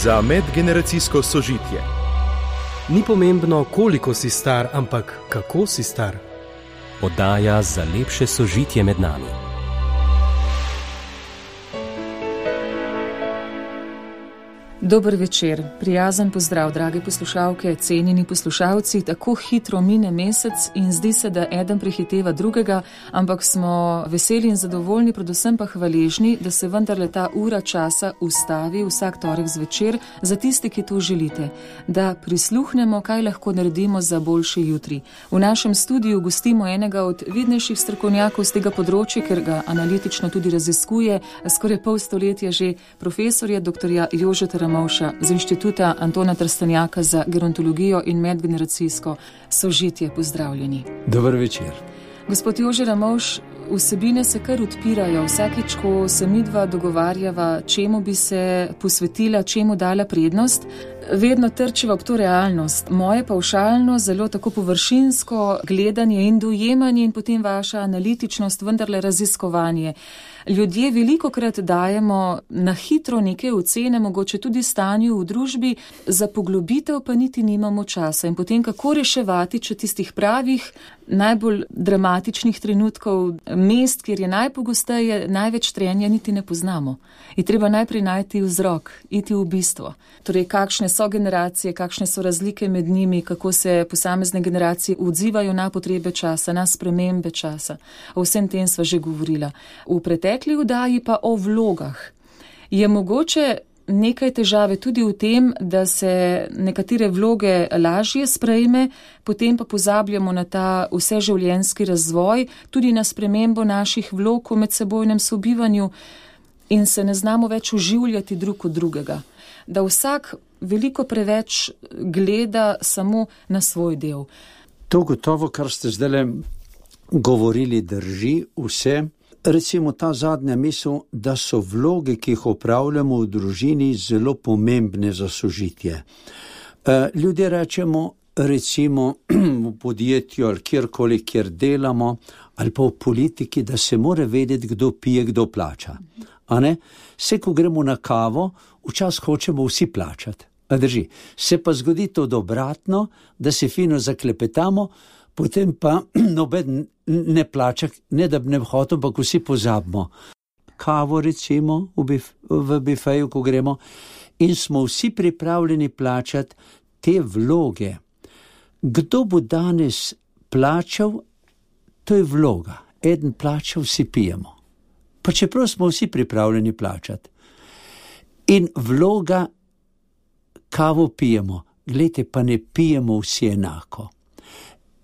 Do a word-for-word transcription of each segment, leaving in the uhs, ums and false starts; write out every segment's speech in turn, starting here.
za medgeneracijsko sožitje. Ni pomembno, koliko si star, ampak kako si star. Oddaja za lepše sožitje med nami. Dober večer, prijazen pozdrav, drage poslušalke, cenjeni poslušalci. Tako hitro mine mesec in zdi se, da eden prehiteva drugega, ampak smo veseli in zadovoljni, predvsem pa hvaležni, da se vendarle ta ura časa ustavi vsak torek zvečer za tisti, ki to želite, da prisluhnemo, kaj lahko naredimo za boljši jutri. V našem studiu gostimo enega od vidnejših strokovnjakov z tega področja, ker ga analitično tudi raziskuje, skoraj pol stoletja že, profesorja doktorja Jožeta Ramovša z Inštituta Antona Trstenjaka za gerontologijo in medgeneracijsko sožitje. Pozdravljeni. Dober večer. Gospod Jože Ramovš, vsebine se kar odpirajo. Vsakič, ko se midva dogovarjava, čemu bi se posvetila, čemu dala prednost, vedno trčiva ob to realnost. Moje pavšalno, zelo tako površinsko gledanje in dojemanje in potem vaša analitičnost, vendarle raziskovanje. Ljudje velikokrat dajemo na hitro neke ocene, mogoče tudi stanju v družbi, za poglobitev pa niti nimamo časa. In potem kako reševati, če tistih pravih, najbolj dramatičnih trenutkov, mest, kjer je najpogosteje največ trenja, niti ne poznamo. Je treba najprej najti vzrok, iti v bistvo. Torej, kakšne so generacije, kakšne so razlike med njimi, kako se posamezne generacije odzivajo na potrebe časa, na spremembe časa. O vsem tem sva že govorila. V pretekli vdaji pa o vlogah. Je mogoče nekaj težave tudi v tem, da se nekatere vloge lažje sprejme, potem pa pozabljamo na ta vseživljenjski razvoj, tudi na spremembo naših vlog v medsebojnem sobivanju in se ne znamo več oživljati drug od drugega. Da vsak veliko preveč gleda samo na svoj del. To gotovo, kar ste zdaj govorili, drži vse. Recimo ta zadnja misel, da so vloge, ki jih opravljamo v družini, zelo pomembne za sožitje. Ljudje rečemo, recimo v podjetju ali kjerkoli, kjer delamo, ali pa v politiki, da se mora vedeti, kdo pije, kdo plača. A ne? Vse, ko gremo na kavo, včasih hočemo vsi plačati. A drži. Se pa zgodi to obratno, da se fino zaklepetamo, potem pa noben ne plača, ne da bi ne hotel, ampak vsi pozabimo. Kavo recimo v, bif, v bifeju, ko gremo, in smo vsi pripravljeni plačati te vloge. Kdo bo danes plačal, to je vloga. Eden plačal, vsi pijemo. Pa čeprav smo vsi pripravljeni plačati. In vloga, kavo pijemo. Glejte, pa ne pijemo vsi enako.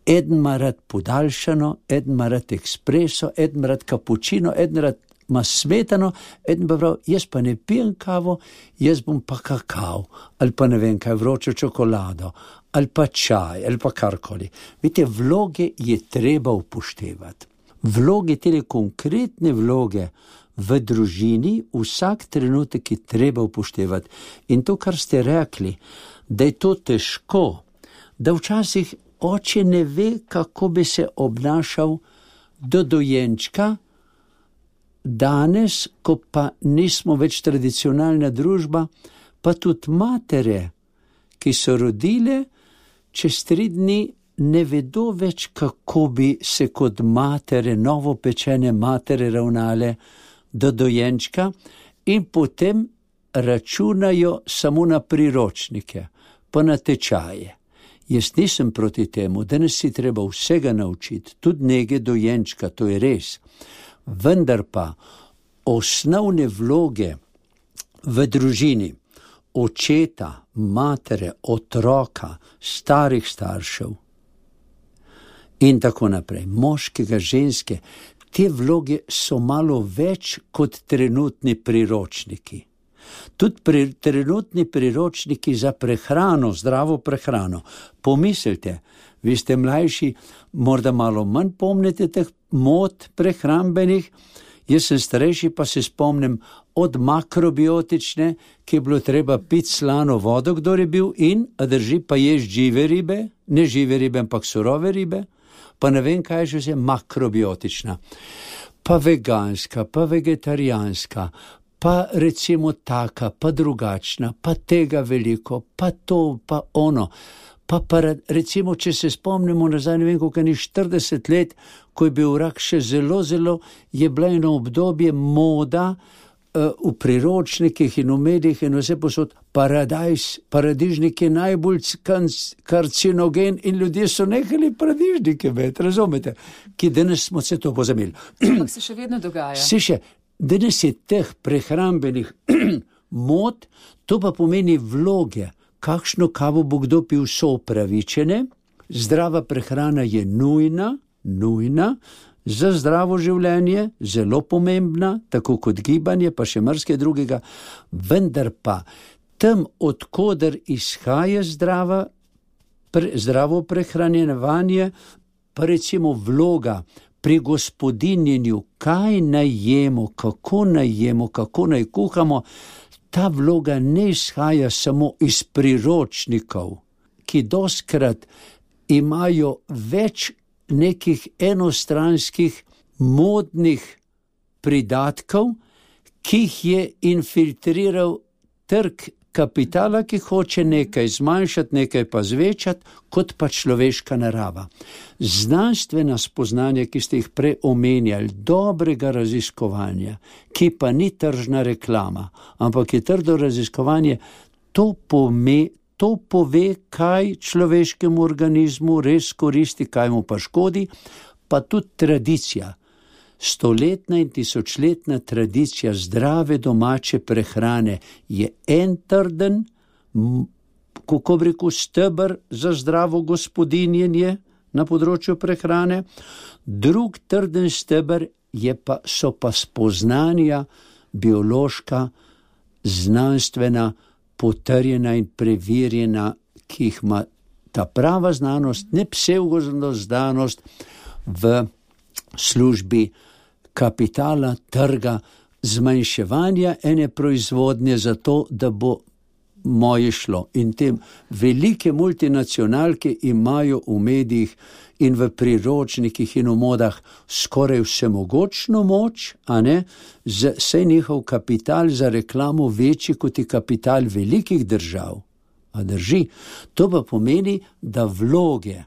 Eden ima rad podaljšano, eden ima rad ekspreso, eden ima rad kapučino, eden rad ima smetano, eden pa prav, jaz pa ne pijem kavo, jaz bom pa kakav, ali pa ne vem kaj, vročo čokolado, ali pa čaj, ali pa karkoli. Vidite, vloge je treba upoštevati. Vloge, te konkretne vloge v družini, vsak trenutek je treba upoštevati. In to, kar ste rekli, da je to težko, da včasih oče ne ve, kako bi se obnašal do dojenčka, danes, ko pa nismo več tradicionalna družba, pa tudi matere, ki so rodile, čez tri dni ne vedo več, kako bi se kot matere, novopečene matere ravnale do dojenčka in potem računajo samo na priročnike, pa na tečaje. Jaz nisem proti temu, danes si treba vsega naučiti, tudi nege dojenčka, to je res. Vendar pa osnovne vloge v družini, očeta, matere, otroka, starih staršev in tako naprej, moškega, ženske, te vloge so malo več kot trenutni priročniki. Tudi pri, trenutni priročniki za prehrano, zdravo prehrano. Pomislite, vi ste mlajši, morda malo manj pomnite teh mod prehrambenih, jaz sem starejši, pa se spomnim od makrobiotične, ki je bilo treba piti slano vodo, kdor je bil, in, a drži, pa ješ žive ribe, ne žive ribe, ampak surove ribe, pa ne vem, kaj je že vse makrobiotična. Pa veganska, pa vegetarijanska, pa recimo taka, pa drugačna, pa tega veliko, pa to, pa ono. Pa, pa recimo, če se spomnimo nazaj, ne vem, koliko ni štirideset let, ko je bil rak še zelo, zelo, je bila eno obdobje moda uh, v priročnikih in v medijih in vse posod, paradajz, paradižnik je najbolj karcinogen in ljudje so nehali paradižnike med, razumete, ki danes smo se to pozabili. Ampak se še vedno dogaja. Se še, danes je teh prehrambenih mod, to pa pomeni vloge. Kakšno kavo bo kdo pil, so upravičene, zdrava prehrana je nujna, nujna, za zdravo življenje, zelo pomembna, tako kot gibanje, pa še marsikaj drugega, vendar pa tam, odkoder izhaja zdrava, pre, zdravo prehranjevanje, pa recimo vloga pri gospodinjenju, kaj naj jemo, kako naj jemo, kako naj kuhamo, ta vloga ne izhaja samo iz priročnikov, ki dostkrat imajo več nekih enostranskih modnih pridatkov, ki jih je infiltriral trg kapitala, ki hoče nekaj zmanjšati, nekaj pa zvečati, kot pa človeška narava. Znanstvena spoznanja, ki ste jih prej omenjali, dobrega raziskovanja, ki pa ni tržna reklama, ampak je trdo raziskovanje, to pome, to pove, kaj človeškemu organizmu res koristi, kaj mu pa škodi, pa tudi tradicija. Stoletna in tisočletna tradicija zdrave domače prehrane je en trden, kako bi rekel, steber za zdravo gospodinjenje na področju prehrane, drug trden steber je pa, so pa spoznanja biološka, znanstvena, potrjena in preverjena, ki jih ima ta prava znanost, ne psevdoznanost v službi kapitala, trga, zmanjševanja ene proizvodnje za to, da bo moje šlo. In te velike multinacionalke imajo v medijih in v priročnikih in v modah skoraj vsemogočno moč, a ne, saj njihov kapital za reklamo večji kot je kapital velikih držav. A drži? To pa pomeni, da vloge,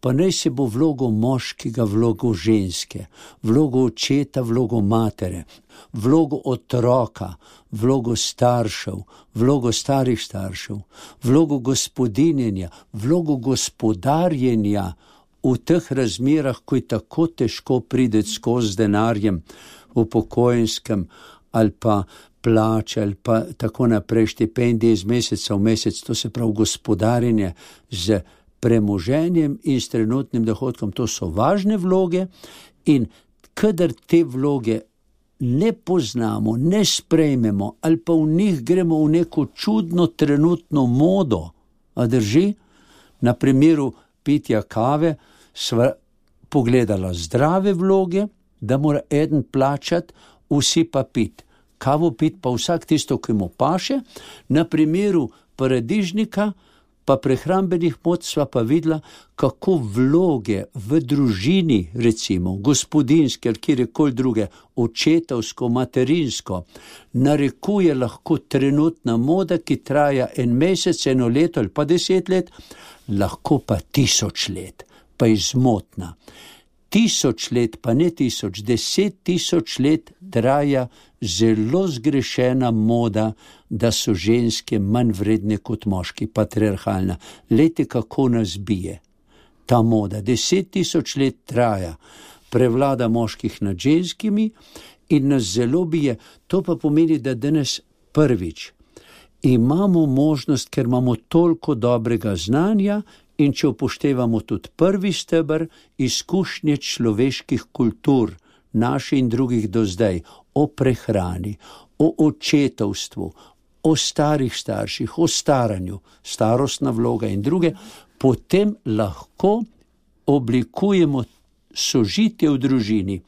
pa naj se bo vlogo moškega, vlogo ženske, vlogo očeta, vlogo matere, vlogo otroka, vlogo staršev, vlogo starih staršev, vlogo gospodinjenja, vlogo gospodarjenja v teh razmerah, ko je tako težko prideti skozi denarjem v pokojenskem ali pa plače ali pa tako naprej, štipendije iz meseca v mesec, to se pravi gospodarjenje z premoženjem in s trenutnim dohodkom, to so važne vloge in kadar te vloge ne poznamo, ne sprejmemo ali pa v njih gremo v neko čudno trenutno modo, a drži, na primeru pitja kave sva pogledala zdrave vloge, da mora eden plačati, vsi pa pit. Kavo pit pa vsak tisto, ki mu paše, na primeru paradižnika pa prehrambenih mod sva pa videla, kako vloge v družini, recimo, gospodinske ali kjerkoli druge, očetovsko, materinsko, narekuje lahko trenutna moda, ki traja en mesec, eno leto ali pa deset let, lahko pa tisoč let, pa je zmotna. Tisoč let, pa ne tisoč, deset tisoč let traja zelo zgrešena moda, da so ženske manj vredne kot moški, patriarhalna. Lejte, kako nas bije. Ta moda, deset tisoč let traja, prevlada moških nad ženskimi in nas zelo bije. To pa pomeni, da danes prvič imamo možnost, ker imamo toliko dobrega znanja, in če upoštevamo tudi prvi steber, izkušnje človeških kultur, naši in drugih do zdaj, o prehrani, o očetovstvu, o starih starših, o staranju, starostna vloga in druge, potem lahko oblikujemo sožitje v družini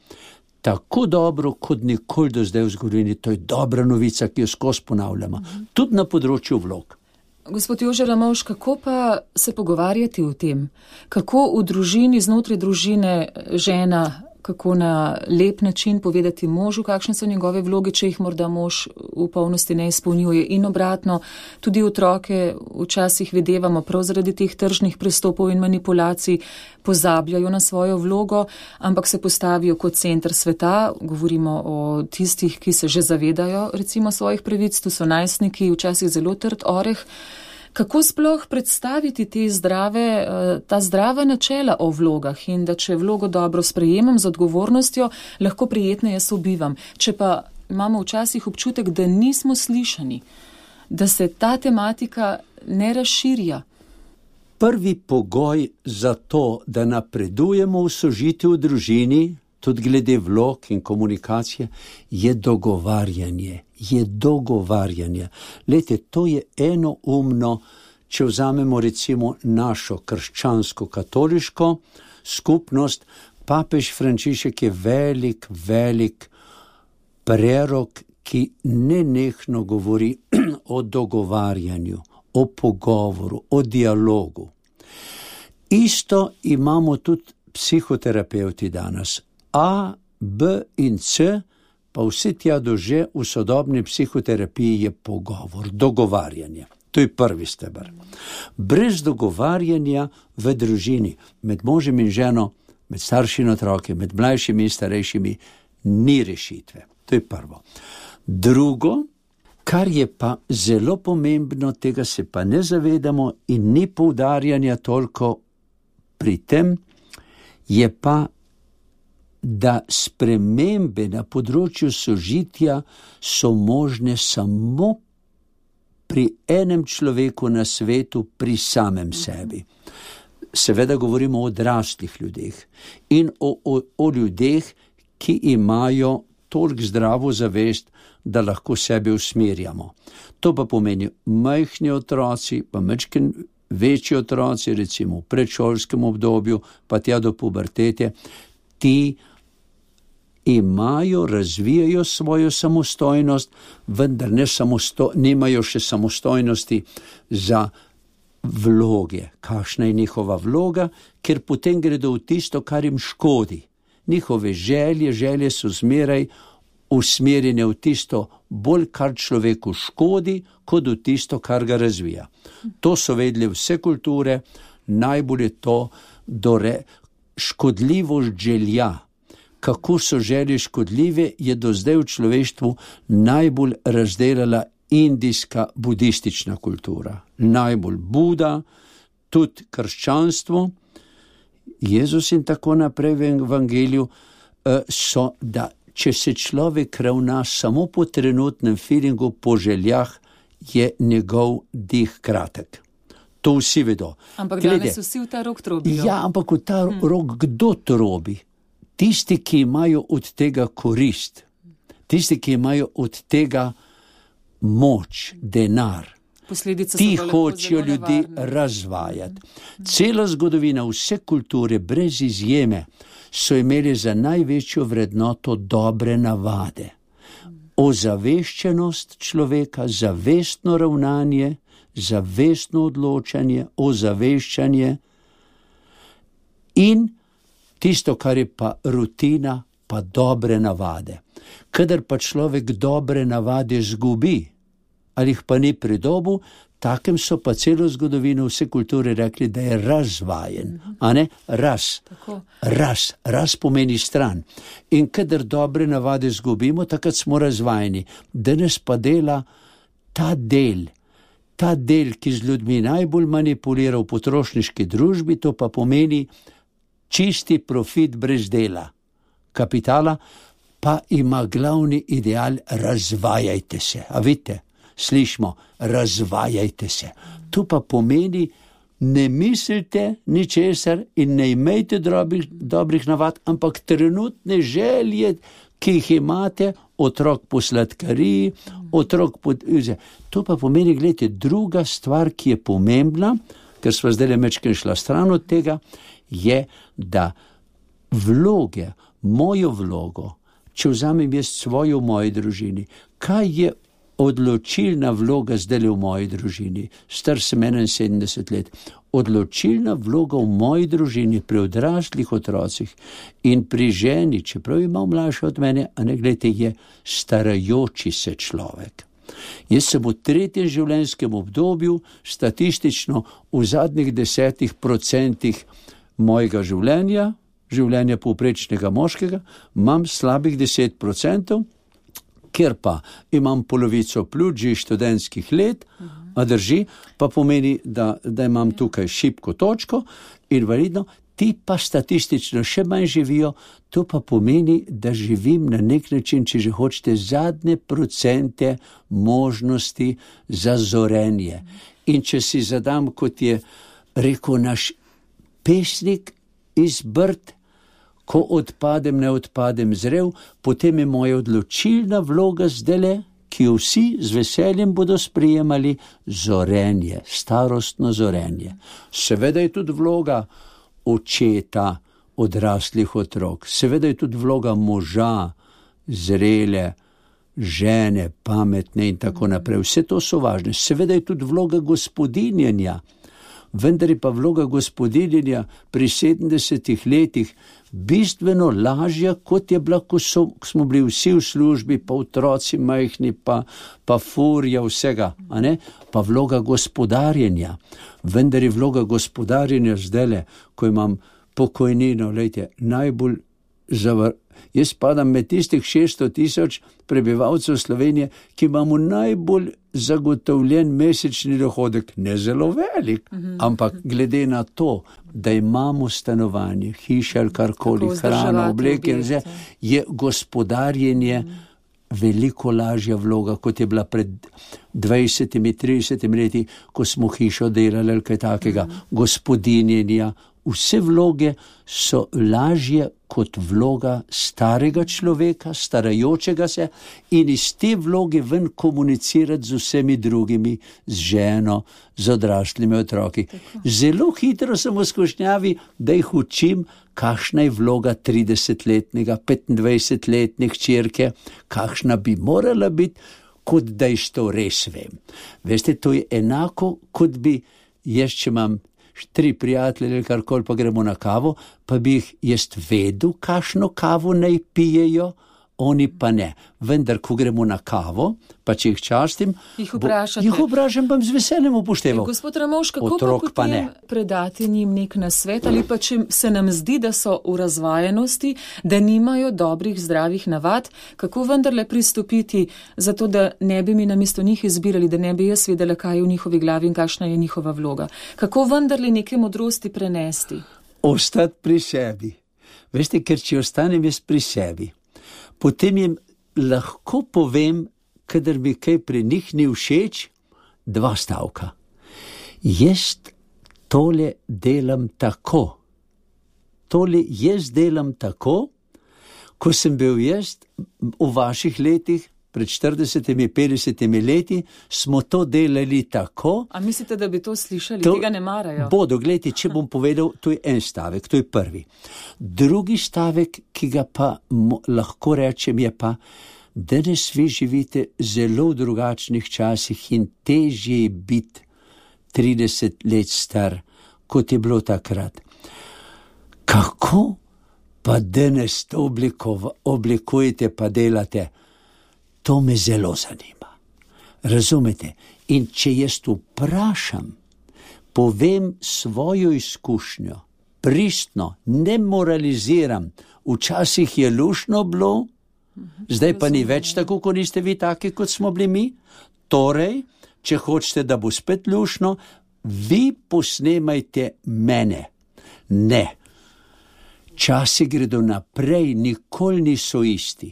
tako dobro, kot nikoli do zdaj v zgodovini. To je dobra novica, ki jo skozi ponavljamo. Tudi na področju vlog. Gospod Jože Ramovš, kako pa se pogovarjati o tem? Kako v družini, znotraj družine žena kako na lep način povedati možu, kakšne so njegove vloge, če jih morda mož v polnosti ne izpolnjuje. In obratno, tudi otroke včasih videvamo prav zaradi teh tržnih pristopov in manipulacij, pozabljajo na svojo vlogo, ampak se postavijo kot center sveta. Govorimo o tistih, ki se že zavedajo recimo svojih pravic, tu so najstniki, včasih zelo trd oreh. Kako sploh predstaviti te zdrave, ta zdrava načela o vlogah in da če vlogo dobro sprejemam z odgovornostjo, lahko prijetneje sobivam. Če pa imamo včasih občutek, da nismo slišani, da se ta tematika ne razširja. Prvi pogoj za to, da napredujemo v sožitju v družini, tudi glede vlog in komunikacije, je dogovarjanje. Je dogovarjanje. Lejte, to je enoumno, če vzamemo recimo našo krščansko-katoliško skupnost, papež Frančišek je velik, velik prerok, ki nenehno govori o dogovarjanju, o pogovoru, o dialogu. Isto imamo tudi psihoterapeuti danes. A, B in C, pa vse tja do Ž v sodobni psihoterapiji je pogovor, dogovarjanje. To je prvi steber. Brez dogovarjanja v družini, med možem in ženo, med staršimi otroki, med mlajšimi in starejšimi, ni rešitve. To je prvo. Drugo, kar je pa zelo pomembno, tega se pa ne zavedamo in ni poudarjanja toliko pri tem, je pa, da spremembe na področju sožitja so možne samo pri enem človeku na svetu, pri samem sebi. Seveda govorimo o odraslih ljudeh in o, o, o ljudeh, ki imajo toliko zdravo zavest, da lahko sebe usmerjamo. To pa pomeni majhni otroci, pa majčken večji otroci, recimo v predšolskem obdobju, pa tja do pubertete, ti imajo, razvijajo svojo samostojnost, vendar ne samosto, nimajo še samostojnosti za vloge. Kakšna je njihova vloga, ker potem gredo v tisto, kar jim škodi. Njihove želje, želje so zmeraj usmerjene v tisto bolj, kar človeku škodi, kot v tisto, kar ga razvija. To so vedeli vse kulture, najbolj je to dore, škodljivost želja. Kako so želje škodljive, je do zdaj v človeštvu najbolj razdelala indijska budistična kultura. Najbolj Buda, tudi krščanstvo, Jezus in tako naprej v evangeliju so, da če se človek ravna samo po trenutnem feelingu, po željah, je njegov dih kratek. To vsi vedo. Ampak Glede, danes vsi v ta rok trobijo. Ja, ampak v ta hmm. rok kdo trobi? Tisti, ki imajo od tega korist, tisti, ki imajo od tega moč, denar, Posledice ti hočejo ljudi razvajati. Cela zgodovina, vse kulture, brez izjeme, so imeli za največjo vrednoto dobre navade. Ozaveščenost človeka, zavestno ravnanje, zavestno odločanje, ozaveščanje in tisto, kar je pa rutina, pa dobre navade. Kadar pa človek dobre navade zgubi, ali jih pa ni pridobil, takem so pa celo zgodovino vse kulture rekli, da je razvajen. A ne? Raz. Raz. Raz pomeni stran. In kadar dobre navade zgubimo, takrat smo razvajeni. Danes pa dela ta del, ta del, ki z ljudmi najbolj manipulira v potrošniški družbi, to pa pomeni čisti profit brez dela. Kapitala pa ima glavni ideal, razvajajte se. A vidite, slišimo, razvajajte se. To pa pomeni, ne mislite ničesar in ne imejte dobrih, dobrih navad, ampak trenutne želje, ki jih imate, otrok po sladkariji, otrok po... To pa pomeni, gledajte, druga stvar, ki je pomembna, ker sva zdaj mečken šla stran od tega, je, da vloge, mojo vlogo, če vzamem jaz svojo v moji družini, kaj je odločilna vloga zdaj v moji družini. Star sem enainsedemdeset let. Odločilna vloga v moji družini pri odraslih otrocih in pri ženi, čeprav ima mlajša od mene, a ne gledajte, je starajoči se človek. Jaz sem v tretjem življenjskem obdobju, statistično v zadnjih desetih procentih mojega življenja, življenja povprečnega moškega, imam slabih deset procentov, ker pa imam polovico pljuč študentskih let, a drži, pa pomeni, da, da imam tukaj šibko točko, invalidno, ti pa statistično še manj živijo, to pa pomeni, da živim na nek način, če že hočete, zadnje procente možnosti za zorenje. In če si zadam, kot je rekel naš pesnik iz Brd, ko odpadem, ne odpadem zrel, potem je moja odločilna vloga zdele, ki jo vsi z veseljem bodo sprejemali, zorenje, starostno zorenje. Seveda je tudi vloga očeta odraslih otrok, seveda je tudi vloga moža, zrele, žene, pametne in tako naprej. Vse to so važne. Seveda je tudi vloga gospodinjenja, vendar je pa vloga gospodinjenja pri sedemdesetih letih bistveno lažja, kot je bila, ko, so, ko smo bili vsi v službi, pa otroci majhni, pa, pa furja vsega, a ne? Pa vloga gospodarjenja. Vendar je vloga gospodarjenja zdajle, ko imam pokojnino, lejte, najbolj zavar... Jaz padam med tistih šeststo tisoč prebivalcev Slovenije, ki imamo najbolj zagotovljen mesečni dohodek, ne zelo velik, mm-hmm. ampak glede na to, da imamo stanovanje, hiše ali karkoli, hrana, obleke, je gospodarjenje mm-hmm. veliko lažja vloga, kot je bila pred dvajsetimi, tridesetimi leti, ko smo hišo delali ali kaj takega, mm-hmm. gospodinjenja. Vse vloge so lažje kot vloga starega človeka, starajočega se in iz te vloge ven komunicirati z vsemi drugimi, z ženo, z odraslimi otroki. Zelo hitro sem v skušnjavi, da jih učim, kakšna je vloga tridesetletnega, petindvajsetletne hčerke, kakšna bi morala biti, kot da jaz to res vem. Veste, to je enako, kot bi jaz, če imam tri prijatelje ali karkoli, pa gremo na kavo, pa bi jih jaz vedel, kakšno kavo naj pijejo, oni pa ne. Vendar, ko gremo na kavo, pa če jih častim, jih vprašate. Jih vprašam, bom z veseljem upošteval. Gospod Ramovš, kako Otrok pa potem predati njim nek nasvet, ali pa če se nam zdi, da so v razvajenosti, da nimajo dobrih, zdravih navad, kako vendarle pristopiti za to, da ne bi mi namesto njih izbirali, da ne bi jaz vedela, kaj je v njihovi glavi in kakšna je njihova vloga. Kako vendarle neke modrosti prenesti? Ostati pri sebi. Veste, ker če ostanem jaz pri sebi, potem jim lahko povem, kadar mi kaj pri njih ni všeč, dva stavka. Jaz tole delam tako. Tole jaz delam tako, ko sem bil jaz v vaših letih, pred štiridesetimi, petdesetimi leti, smo to delali tako. A mislite, da bi to slišali? To, tega ne marajo. Bodo, gledajte, če bom povedal, to je en stavek, to je prvi. Drugi stavek, ki ga pa mo, lahko rečem, je pa, danes vi živite zelo v drugačnih časih in težje je biti trideset let star, kot je bilo takrat. Kako pa danes to oblikova, oblikujete pa delate? To me zelo zanima. Razumete? In če jaz vprašam, povem svojo izkušnjo, pristno, ne moraliziram, včasih je lušno bilo, zdaj pa ni več tako, ko niste vi taki, kot smo bili mi. Torej, če hočete, da bo spet lušno, vi posnemajte mene. Ne. Časi gredo naprej, nikoli niso isti.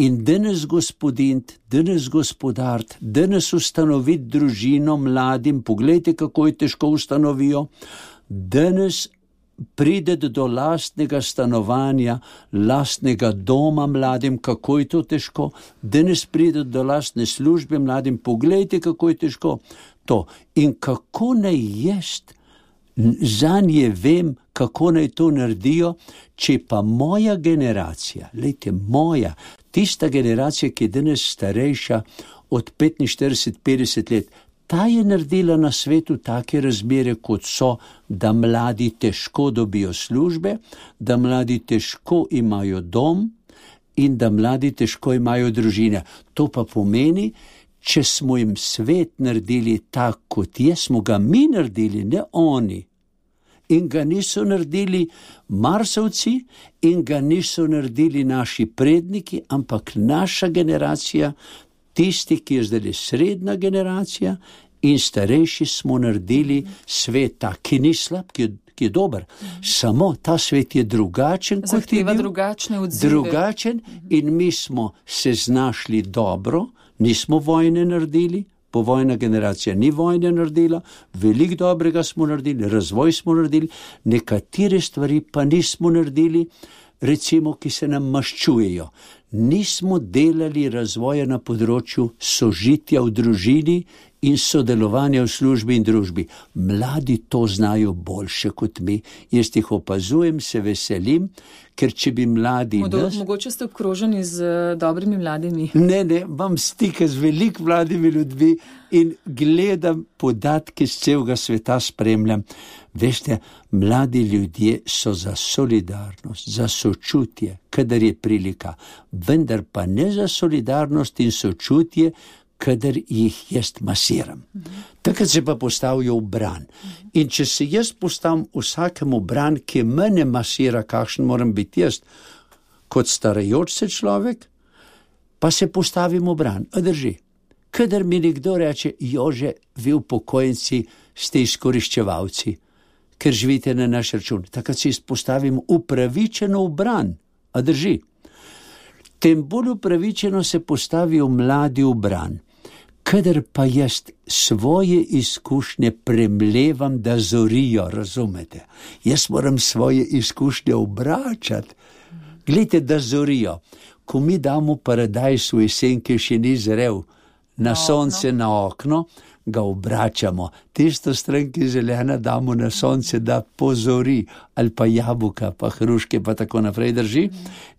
In danes gospodint, danes gospodart, danes ustanoviti družino mladim, poglejte, kako je težko ustanovijo, danes prideti do lastnega stanovanja, lastnega doma mladim, kako je to težko, danes prideti do lastne službe mladim, poglejte, kako je težko to. In kako naj jaz zanje vem, kako naj to naredijo, če pa moja generacija, lejte, moja, tista generacija, ki je danes starejša od petinštirideset do petdeset let. Ta je naredila na svetu take razmere, kot so, da mladi težko dobijo službe, da mladi težko imajo dom in da mladi težko imajo družine. To pa pomeni, če smo jim svet naredili tak, kot je, smo ga mi naredili, ne oni. In ga niso naredili Marsovci in ga niso naredili naši predniki, ampak naša generacija, tisti, ki je zdaj srednja generacija in starejši, smo naredili svet tak, ki ni slab, ki je, ki je dober. Samo ta svet je drugačen, kot je Zahteva bil, drugačne odzive. drugačen in mi smo se znašli dobro, nismo vojne naredili, povojna generacija ni vojne naredila, veliko dobrega smo naredili, razvoj smo naredili, nekatere stvari pa nismo naredili, recimo, ki se nam maščujejo. Nismo delali razvoja na področju sožitja v družini in sodelovanja v službi in družbi. Mladi to znajo boljše kot mi. Jaz jih opazujem, se veselim, ker če bi mladi Modo, nas... Mogoče ste obkroženi z uh, dobrimi mladimi. Ne, ne, imam stike z veliko mladimi ljudmi in gledam podatke z celega sveta, spremljam. Veste, mladi ljudje so za solidarnost, za sočutje, kadar je prilika, vendar pa ne za solidarnost in sočutje, kadar jih jaz masiram. Takrat se pa postavijo v bran. In če se jaz postavim vsakemu bran, ki mene masira, kakšen moram biti jaz, kot starajoč se človek, pa se postavim v bran. A drži. Kadar mi nekdo reče, Jože, vi upokojenci ste izkoriščevalci, ker živite na naš račun. Takrat se izpostavim upravičeno v bran. A drži. Tem bolj upravičeno se postavijo mladi v bran. Kadar pa jaz svoje izkušnje premlevam, da zorijo, razumete? Jaz moram svoje izkušnje obračati. Glejte, da zorijo. Ko mi damo paradajz v jesen, ki še ni zrel, na, na sonce, na okno, ga obračamo. Tisto stran, ki zelena, damo na sonce, da pozori, ali pa jabuka, pa hruške, pa tako naprej, drži.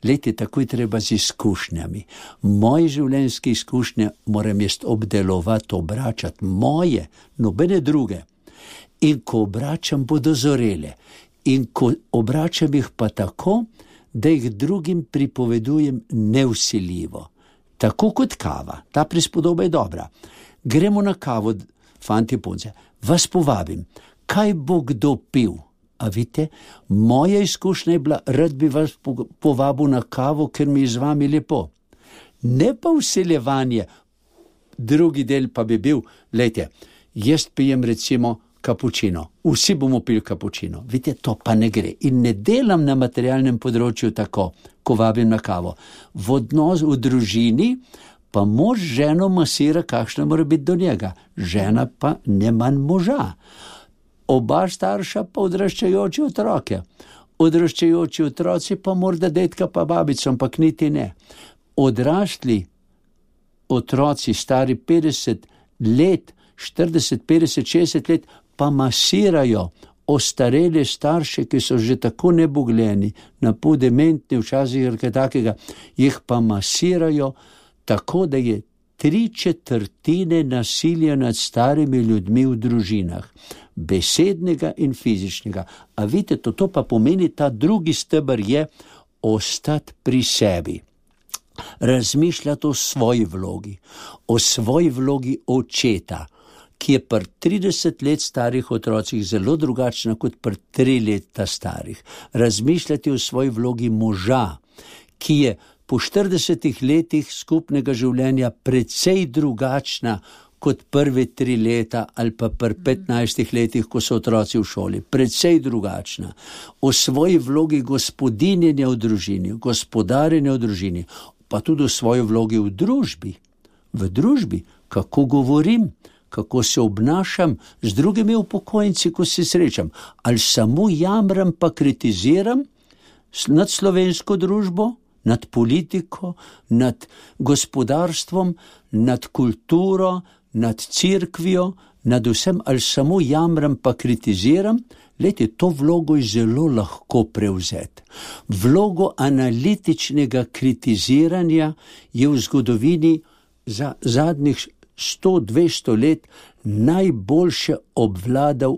Lejte, tako je treba z izkušnjami. Moje življenjske izkušnje moram jaz obdelovati, obračati. Moje, nobene druge. In ko obračam, bodo zorele. In ko obračam jih pa tako, da jih drugim pripovedujem nevsiljivo. Tako kot kava. Ta prispodoba je dobra. Gremo na kavo, fanti punce, vas povabim, kaj bo kdo pil? A vidite, moja izkušnja je bila, rad bi vas povabil na kavo, ker mi je z vami lepo. Ne pa vseljevanje, drugi del pa bi bil, lejte, jaz pijem recimo kapučino, vsi bomo pili kapučino, vidite, to pa ne gre. In ne delam na materialnem področju tako, ko vabim na kavo. V odnos v družini pa mož ženo masira, kakšna mora biti do njega. Žena pa ne manj moža. Oba starša pa odraščajoči otroke. Odraščajoči otroci pa morda detka pa babico, ampak niti ne. Odrasli otroci, stari petdeset let, štirideset, petdeset, šestdeset let, pa masirajo ostarele starše, ki so že tako nebogljeni, napol dementni, včasih kaj takega, jih pa masirajo tako, da je tri četrtine nasilja nad starimi ljudmi v družinah, besednega in fizičnega. A vidite, to, to pa pomeni, ta drugi steber je ostati pri sebi. Razmišljati o svoji vlogi, o svoji vlogi očeta, ki je pri trideset let starih otrocih zelo drugačna kot pri tri leta starih. Razmišljati o svoji vlogi moža, ki je po štiridesetih letih skupnega življenja precej drugačna kot prve tri leta ali pa pri petnajstih letih, ko so otroci v šoli. Precej drugačna. O svoji vlogi gospodinjenja v družini, gospodarjenja v družini, pa tudi o svoji vlogi v družbi. V družbi, kako govorim, kako se obnašam z drugimi upokojenci, ko se srečam. Ali samo jamram pa kritiziram nad slovensko družbo, nad politiko, nad gospodarstvom, nad kulturo, nad cerkvijo, nad vsem, ali samo jamram pa kritiziram? Lejte, to vlogo je zelo lahko prevzeti. Vlogo analitičnega kritiziranja je v zgodovini za zadnjih sto dvesto let najboljše obvladal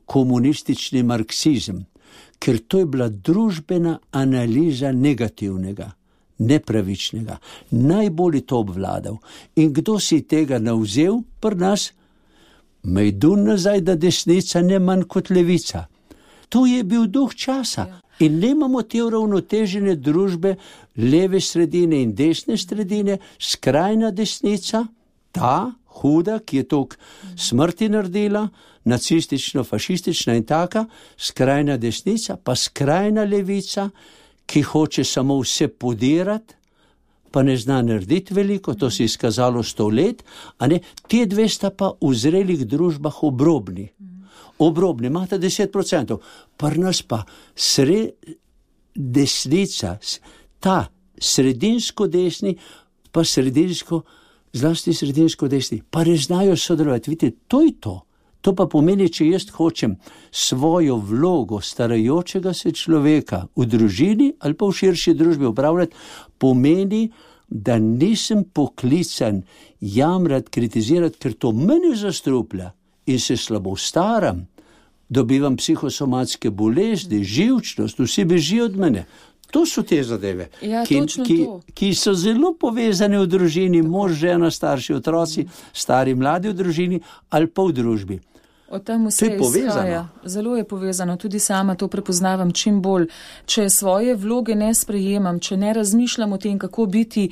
komunistični marksizem, ker to je bila družbena analiza negativnega, nepravičnega. Najbolj to obvladal. In kdo si tega navzel pri nas? Mejdun nazaj, da desnica ne manj kot levica. To je bil duh časa. In nemamo te uravnotežene družbe, leve sredine in desne sredine, skrajna desnica, ta huda, ki je toliko smrti naredila, nacistično, fašistična in taka, skrajna desnica, pa skrajna levica, ki hoče samo vse podirati, pa ne zna narediti veliko, to si izkazalo sto let, a ne, te dve sta pa v zrelih družbah obrobni. Obrobni, imate deset procentov, pri nas pa sre, desnica, ta sredinsko desni, pa sredinsko, zlasti sredinsko desni, pa ne znajo sodelovati. Vidite, to je to. To pa pomeni, če jaz hočem svojo vlogo starajočega se človeka v družini ali pa v širši družbi upravljati, pomeni, da nisem poklican jamrati, kritizirati, ker to mene zastruplja in se slabo staram, dobivam psihosomatske bolezni, živčnost, vsi bežijo od mene. To so te zadeve, ja, ki, ki, ki so zelo povezane v družini, mož, žena, starši, otroci, stari, mladi v družini ali pa v družbi. O tem vse izhaja. Zelo je povezano, tudi sama to prepoznavam čim bolj. Če svoje vloge ne sprejemam, če ne razmišljam o tem, kako biti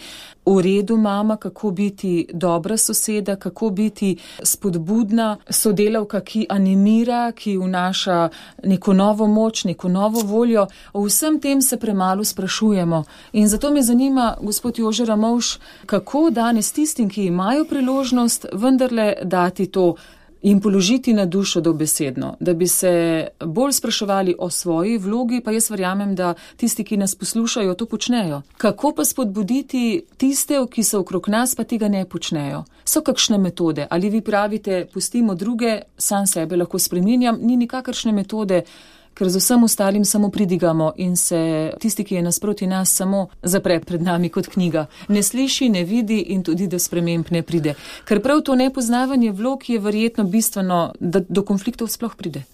v redu mama, kako biti dobra soseda, kako biti spodbudna sodelavka, ki animira, ki vnaša neko novo moč, neko novo voljo, o vsem tem se premalo sprašujemo. In zato me zanima, gospod Jože Ramovš, kako danes tistim, ki imajo priložnost, vendarle dati to in položiti na dušo dobesedno, da bi se bolj spraševali o svoji vlogi, pa jaz verjamem, da tisti, ki nas poslušajo, to počnejo. Kako pa spodbuditi tiste, ki so okrog nas, pa tega ne počnejo? So kakšne metode? Ali vi pravite, pustimo druge, sam sebe lahko spreminjam, ni nikakršne metode, ker z vsem ostalim samo pridigamo in se tisti, ki je nasproti nas, samo zapre pred nami kot knjiga. Ne sliši, ne vidi in tudi do sprememb ne pride. Ker prav to nepoznavanje vlog je verjetno bistveno, da do konfliktov sploh pride.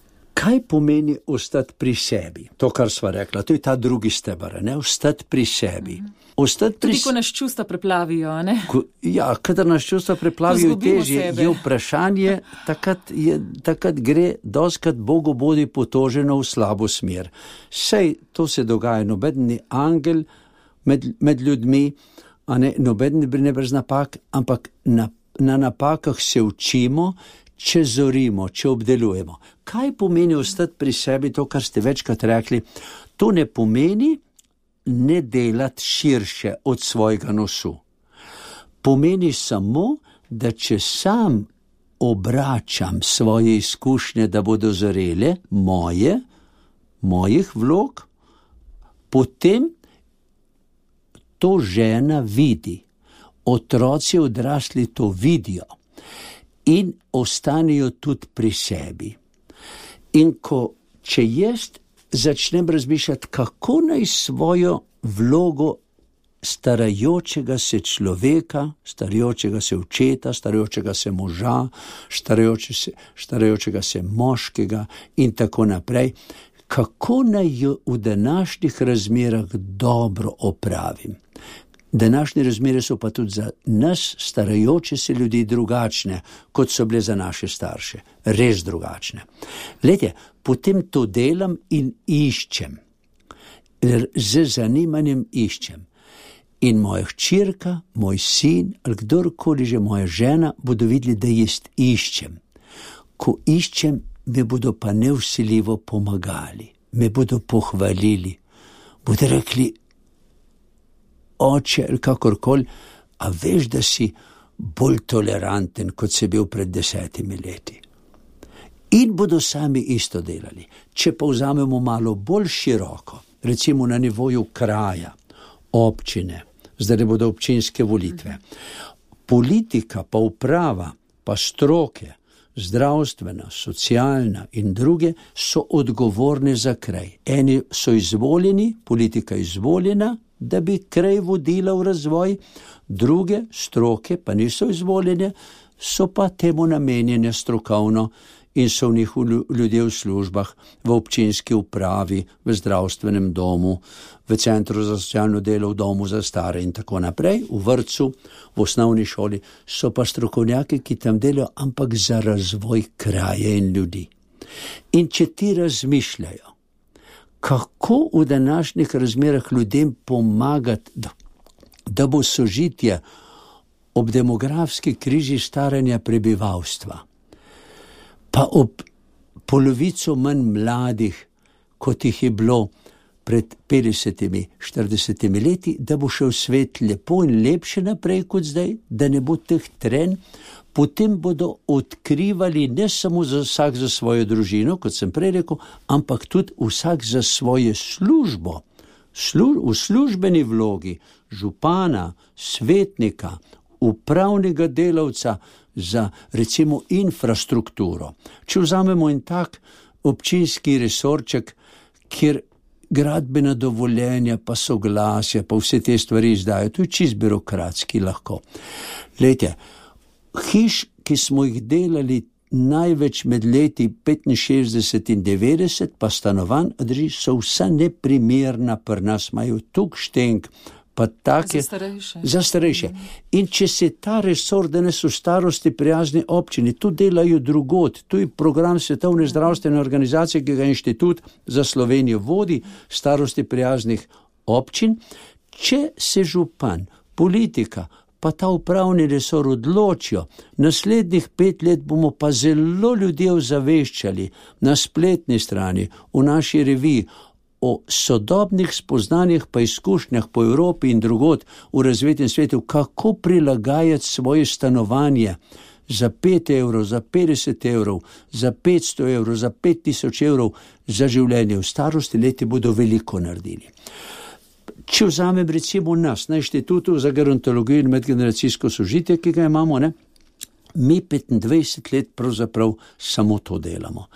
Kaj pomeni ostati pri sebi? To, kar sva rekla, to je ta drugi steber, ne? Ostati pri sebi. Ostati pri... Tudi, ko nas čustva preplavijo, ne? Ko, ja, kadar nas čustva preplavijo, težje je vprašanje, takrat, je, takrat gre doskrat Bogu bodi potoženo v slabo smer. Sej, to se dogaja, noben ni angel med, med ljudmi, a ne, noben ne brez napak, ampak na, na napakah se učimo, če zorimo, če obdelujemo. Kaj pomeni ostati pri sebi, to, kar ste večkrat rekli? To ne pomeni ne delati širše od svojega nosu. Pomeni samo, da če sam obračam svoje izkušnje, da bodo zorele moje, mojih vlog, potem to žena vidi. Otroci odrasli to vidijo. In ostanejo tudi pri sebi. In ko, če jaz začnem razmišljati, kako naj svojo vlogo starajočega se človeka, starajočega se očeta, starajočega se moža, starajoče se, starajočega se moškega in tako naprej, kako naj jo v današnjih razmerah dobro opravim. Današnje razmere so pa tudi za nas, starajoče se ljudi, drugačne, kot so bile za naše starše. Res drugačne. Glejte, potem to delam in iščem. Z zanimanjem iščem. In moja hčerka, moj sin, ali kdorkoli že moja žena, bodo videli, da jaz iščem. Ko iščem, me bodo pa nevsiljivo pomagali. Me bodo pohvalili. Bodo rekli, oče, ali kakorkoli, a veš, da si bolj toleranten, kot si bil pred desetimi leti. In bodo sami isto delali. Če pa vzamemo malo bolj široko, recimo na nivoju kraja, občine, zdaj bodo občinske volitve, politika, pa uprava, pa stroke, zdravstvena, socialna in druge so odgovorne za kraj. Eni so izvoljeni, politika izvoljena, da bi kraj vodila v razvoj, druge stroke pa niso izvoljene, so pa temu namenjene strokovno in so v njih ljudje v službah, v občinski upravi, v zdravstvenem domu, v centru za socialno delo, v domu za stare in tako naprej, v vrtcu, v osnovni šoli, so pa strokovnjaki, ki tam delajo, ampak za razvoj kraja in ljudi. In če ti razmišljajo, kako v današnjih razmerah ljudem pomagati, da, da bo sožitje ob demografski križi staranja prebivalstva, pa ob polovico manj mladih, kot jih je bilo pred petdesetimi, štiridesetimi leti, da bo šel svet lepo in lepše naprej kot zdaj, da ne bo teh trenj, potem bodo odkrivali ne samo za vsak za svojo družino, kot sem prej rekel, ampak tudi vsak za svojo službo. Slu, v službeni vlogi župana, svetnika, upravnega delavca za recimo infrastrukturo. Če vzamemo en tak občinski resorček, kjer gradbena dovoljenja, pa soglasja, pa vse te stvari izdajo, to je čist birokratski lahko. Glejte, hiš, ki smo jih delali največ med leti petinšestdeset in devetdeset, pa stanovanj, drži, so vsa neprimerna pri nas, imajo tuk štenk, pa take, za starejše. Za starejše. In če se ta resor danes v starosti prijazni občini, tu delajo drugod, tu je program Svetovne zdravstvene organizacije, ki ga Inštitut za Slovenijo vodi, starosti prijaznih občin, če se župan, politika, pa ta upravni resor odločijo, naslednjih pet let bomo pa zelo ljudje ozaveščali na spletni strani, v naši reviji, o sodobnih spoznanjih pa izkušnjah po Evropi in drugod v razvitem svetu, kako prilagajati svoje stanovanje za pet evrov, za petdeset evrov, za petsto evrov, za pet tisoč evrov za življenje v starosti, leti bodo veliko naredili. Če vzamem recimo nas na Inštitutu za gerontologijo in medgeneracijsko sožitje, ki ga imamo, ne, mi petindvajset let pravzaprav samo to delamo.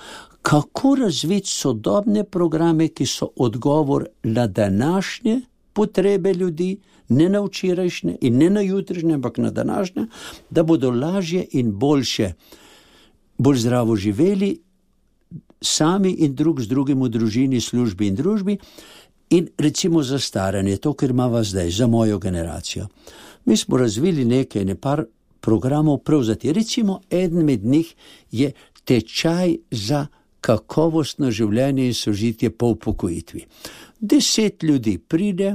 Kako razviti sodobne programe, ki so odgovor na današnje potrebe ljudi, ne na včerajšnje in ne na jutrišnje, ampak na današnje, da bodo lažje in boljše, bolj zdravo živeli sami in drug z drugim v družini, službi in družbi. In recimo za staranje, to, kar imava zdaj, za mojo generacijo. Mi smo razvili nekaj, ne par programov prevzati. Recimo, eden med njih je tečaj za kakovostno življenje in sožitje po upokojitvi. Deset ljudi pride,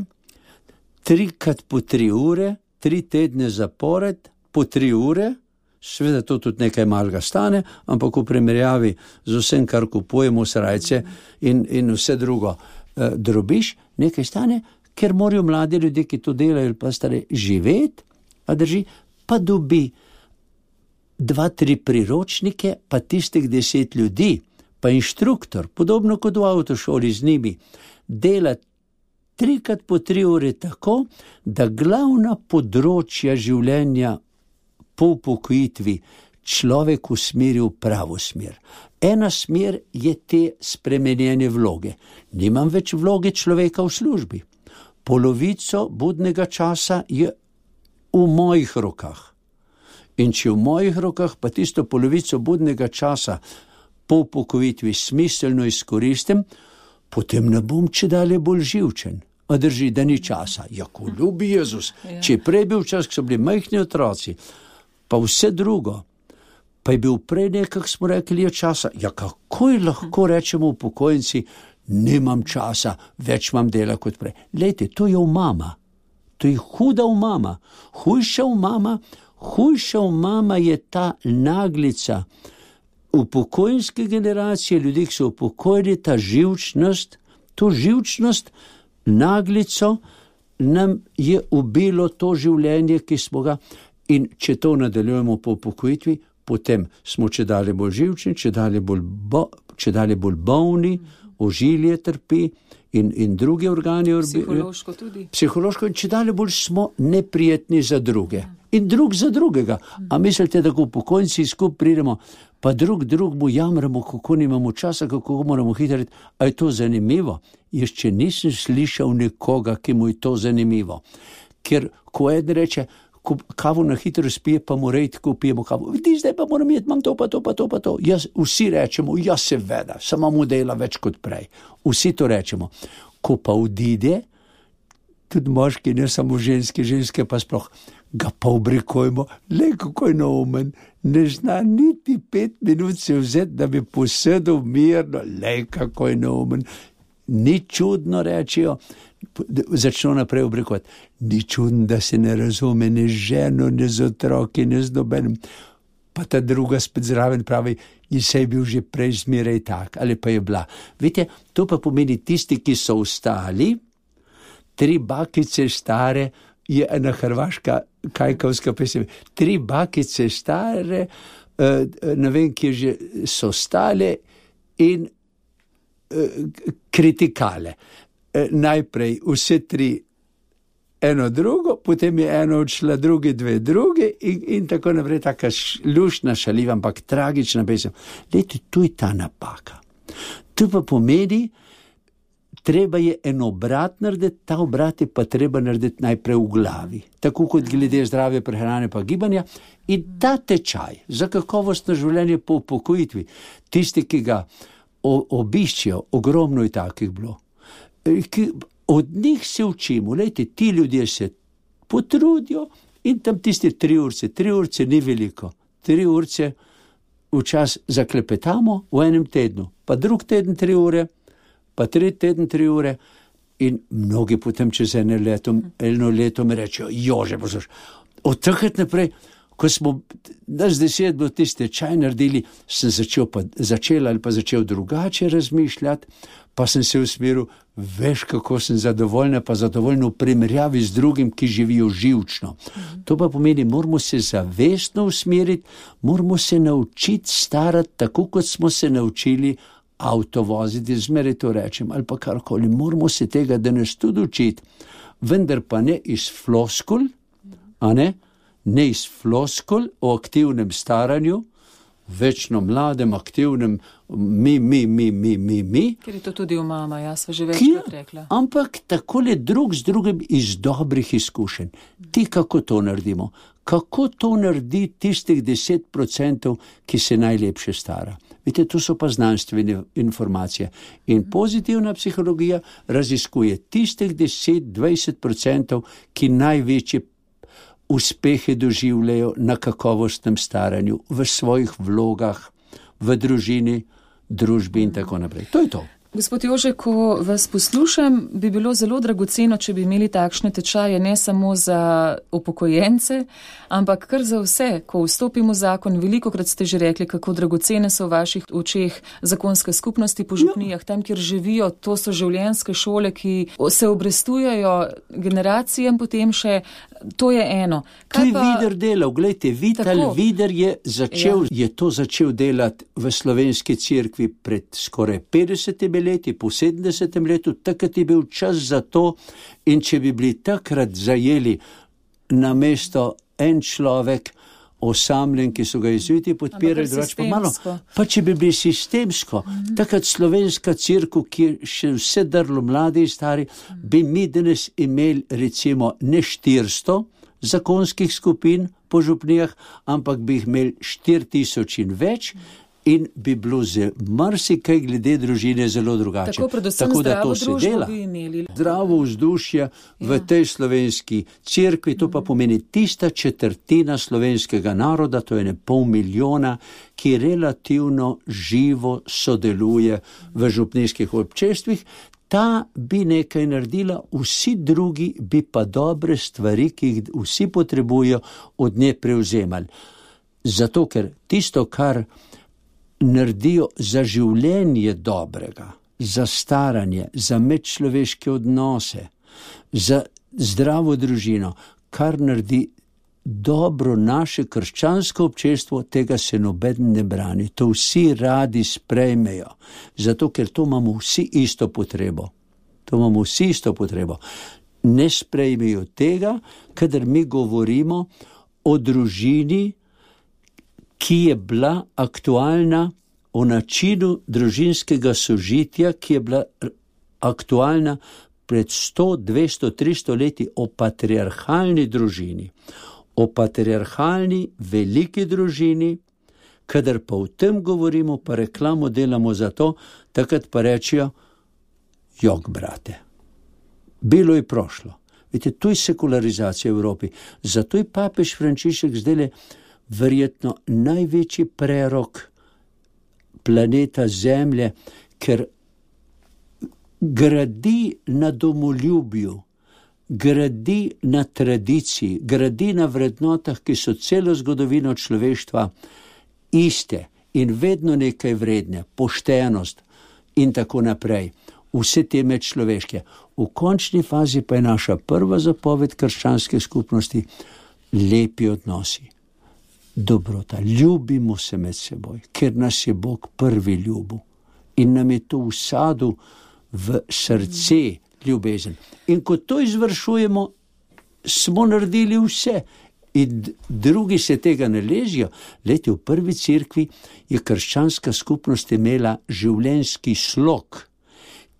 trikrat po tri ure, tri tedne zapored, po tri ure, seveda to tudi nekaj malega stane, ampak v primerjavi z vsem, kar kupujemo, srajce in, in vse drugo, eh, drobiš, nekaj stane, ker morajo mladi ljudje, ki to delajo, pa stare živeti, a drži, pa dobi dva, tri priročnike, pa tistih deset ljudi, pa inštruktor, podobno kot v avtošoli z njimi, dela trikrat po tri ure tako, da glavna področja življenja po upokojitvi človek usmeri v pravo smer. Ena smer je te spremenjene vloge. Nimam več vloge človeka v službi. Polovico budnega časa je v mojih rokah. In če v mojih rokah pa tisto polovico budnega časa po upokojitvi smiselno izkoristim, potem ne bom čedalje bolj živčen. A drži, da ni časa. Ja, ko ljubi Jezus. Ja. Če je prej bil čas, ko so bili majhni otroci, pa vse drugo, pa je bil prej nekak, smo rekli, je časa. Ja, kako je lahko rečemo upokojenci, nimam časa, več imam dela kot prej. Lejte, to je umama. To je huda umama. Hujša umama, hujša umama je ta naglica upokojenske generacije, ljudi, ki so upokojili, ta živčnost, to živčnost, naglico nam je ubilo to življenje, ki smo ga, in če to nadaljujemo po upokojitvi, potem smo čedalje bolj živčni, čedalje bolj, bo, čedalje bolj bolni, ožilje trpi in, in druge organi. Psihološko tudi. Psihološko in čedalje bolj smo neprijetni za druge. in drug za drugega. A mislite, da ko pokojnici skupaj pridemo, pa drug drugmu jamramo, kako nimamo časa, kako moramo hitriti? A je to zanimivo? Jaz če nisem slišal nekoga, ki mu je to zanimivo. Ker ko eden reče, ko kavo na hitro spije, pa mora iti, ko pijemo kavo. Vidi, zdaj pa moram jeti, imam to, pa to, pa to, pa to. Jaz, vsi rečemo, ja seveda, samo mu dela več kot prej. Vsi to rečemo. Ko pa odide, tudi moški, ne samo ženske, ženske pa sploh, ga pa obrikujemo, le kako je neumen, ne zna niti pet minut se vzeti, da bi posedel mirno, le kako je neumen. Ni čudno, rečejo, začno naprej obrikovati. Ni čudno, da se ne razume ne z ženo, ne z otroki, ne z nobenim. Pa ta druga spet zraven pravi, in se je bil že prej zmeraj tak, ali pa je bila. Vidite, to pa pomeni tisti, ki so ostali, tri bakice stare, je ena hrvaška kajkavska pesem, tri bakice stare, ne vem, kje že so stale in kritikale. Najprej vse tri eno drugo, potem je eno odšla, drugi dve drugi in, in tako naprej, taka luštna, šaljiva, ampak tragična pesem. Lejte, tu je ta napaka. To pa pomeni, treba je en obrat narediti, ta obrat je pa treba narediti najprej v glavi. Tako kot glede zdrave prehrane pa gibanja. In ta tečaj za kakovostno življenje po upokojitvi, tisti, ki ga obiščijo, ogromno je takih bilo. Ki, od njih se učimo, lejte, ti ljudje se potrudijo in tam tiste tri urce, tri urce ni veliko, tri urce včas zaklepetamo v enem tednu, pa drug teden tri ure, pa tri teden tri ure in mnogi potem čez eno leto, eno leto mi rečejo, jože, posluš, od takrat naprej, ko smo nas deset bilo tiste čaj naredili, sem začel, pa, začel ali pa začel drugače razmišljati, pa sem se usmeril, veš, kako sem zadovoljna, pa zadovoljno v primerjavi z drugim, ki živijo živčno. Mm-hmm. To pa pomeni, moramo se zavestno usmeriti, moramo se naučiti starati, tako kot smo se naučili avto voziti, zmeraj to rečem, ali pa karkoli, moramo se tega danes tudi učiti, vendar pa ne iz floskul, a ne, ne iz floskul o aktivnem staranju, večno mladem, aktivnem, mi, mi, mi, mi, mi, mi. Ker je to tudi v mama, jaz sva že večkrat rekla. Ampak takole drug z drugim iz dobrih izkušenj. Ti kako to naredimo? Kako to naredi tistih deset procentov, ki se najlepše stara? Vidite, to so pa znanstvene informacije. In pozitivna psihologija raziskuje tistih deset do dvajset procentov, ki največje uspehe doživljajo na kakovostnem staranju, v svojih vlogah, v družini, družbi in tako naprej. To je to. Gospod Jože, ko vas poslušam, bi bilo zelo dragoceno, če bi imeli takšne tečaje ne samo za upokojence, ampak kar za vse. Ko vstopimo v zakon, velikokrat ste že rekli, kako dragocene so v vaših očeh zakonske skupnosti po župnijah, tam, kjer živijo, to so življenjske šole, ki se obrestujejo generacijam potem še, to je eno. To je pa Vider delal, gledajte, Vital Vider je začel, ja. je to začel delati v slovenski cerkvi pred skoraj petdesetimi leti, po sedemdesetem letu, takrat je bil čas za to in če bi bili takrat zajeli na mesto en človek osamljen, ki so ga jezuiti podpirali, drugače pa malo, pa če bi bili sistemsko, mm-hmm. takrat slovenska cerkev, ki še vse drlo mladi in stari, mm-hmm. bi mi danes imeli recimo ne štiristo zakonskih skupin po župnijah, ampak bi jih imeli štiri tisoč in več, in bi bilo z marsikaj glede družine zelo drugače. Tako, predvsem Tako, zdravo družbo bi imeli. Zdravo vzdušje v ja. tej slovenski cerkvi, to pa pomeni tista četrtina slovenskega naroda, to je ne pol milijona, ki relativno živo sodeluje v župnijskih občestvih, ta bi nekaj naredila, vsi drugi bi pa dobre stvari, ki jih vsi potrebujejo, od nje prevzemali. Zato, ker tisto, kar naredijo za življenje dobrega, za staranje, za medčloveške odnose, za zdravo družino, kar naredi dobro naše krščansko občestvo, tega se noben ne brani. To vsi radi sprejmejo, zato ker to imamo vsi isto potrebo. To imamo vsi isto potrebo. Ne sprejmejo tega, kadar mi govorimo o družini, ki je bila aktualna, o načinu družinskega sožitja, ki je bila aktualna pred sto, dvesto, tristo leti, o patriarhalni družini, o patriarhalni veliki družini, kadar pa o tem govorimo, pa reklamo delamo za to, takrat pa rečejo, jok, brate, bilo je prošlo. Vidite, to je sekularizacija v Evropi. Zato je papež Frančišek zdaj verjetno največji prerok planeta Zemlje, ker gradi na domoljubju, gradi na tradiciji, gradi na vrednotah, ki so celo zgodovino človeštva iste in vedno nekaj vredne, poštenost in tako naprej. Vse te medčloveške. V končni fazi pa je naša prva zapoved krščanske skupnosti lepi odnosi. Dobrota, ljubimo se med seboj, ker nas je Bog prvi ljubil in nam je to vsadil v srce ljubezen. In ko to izvršujemo, smo naredili vse in drugi se tega ne ležijo. Leti, v prvi cerkvi je krščanska skupnost imela življenjski slog,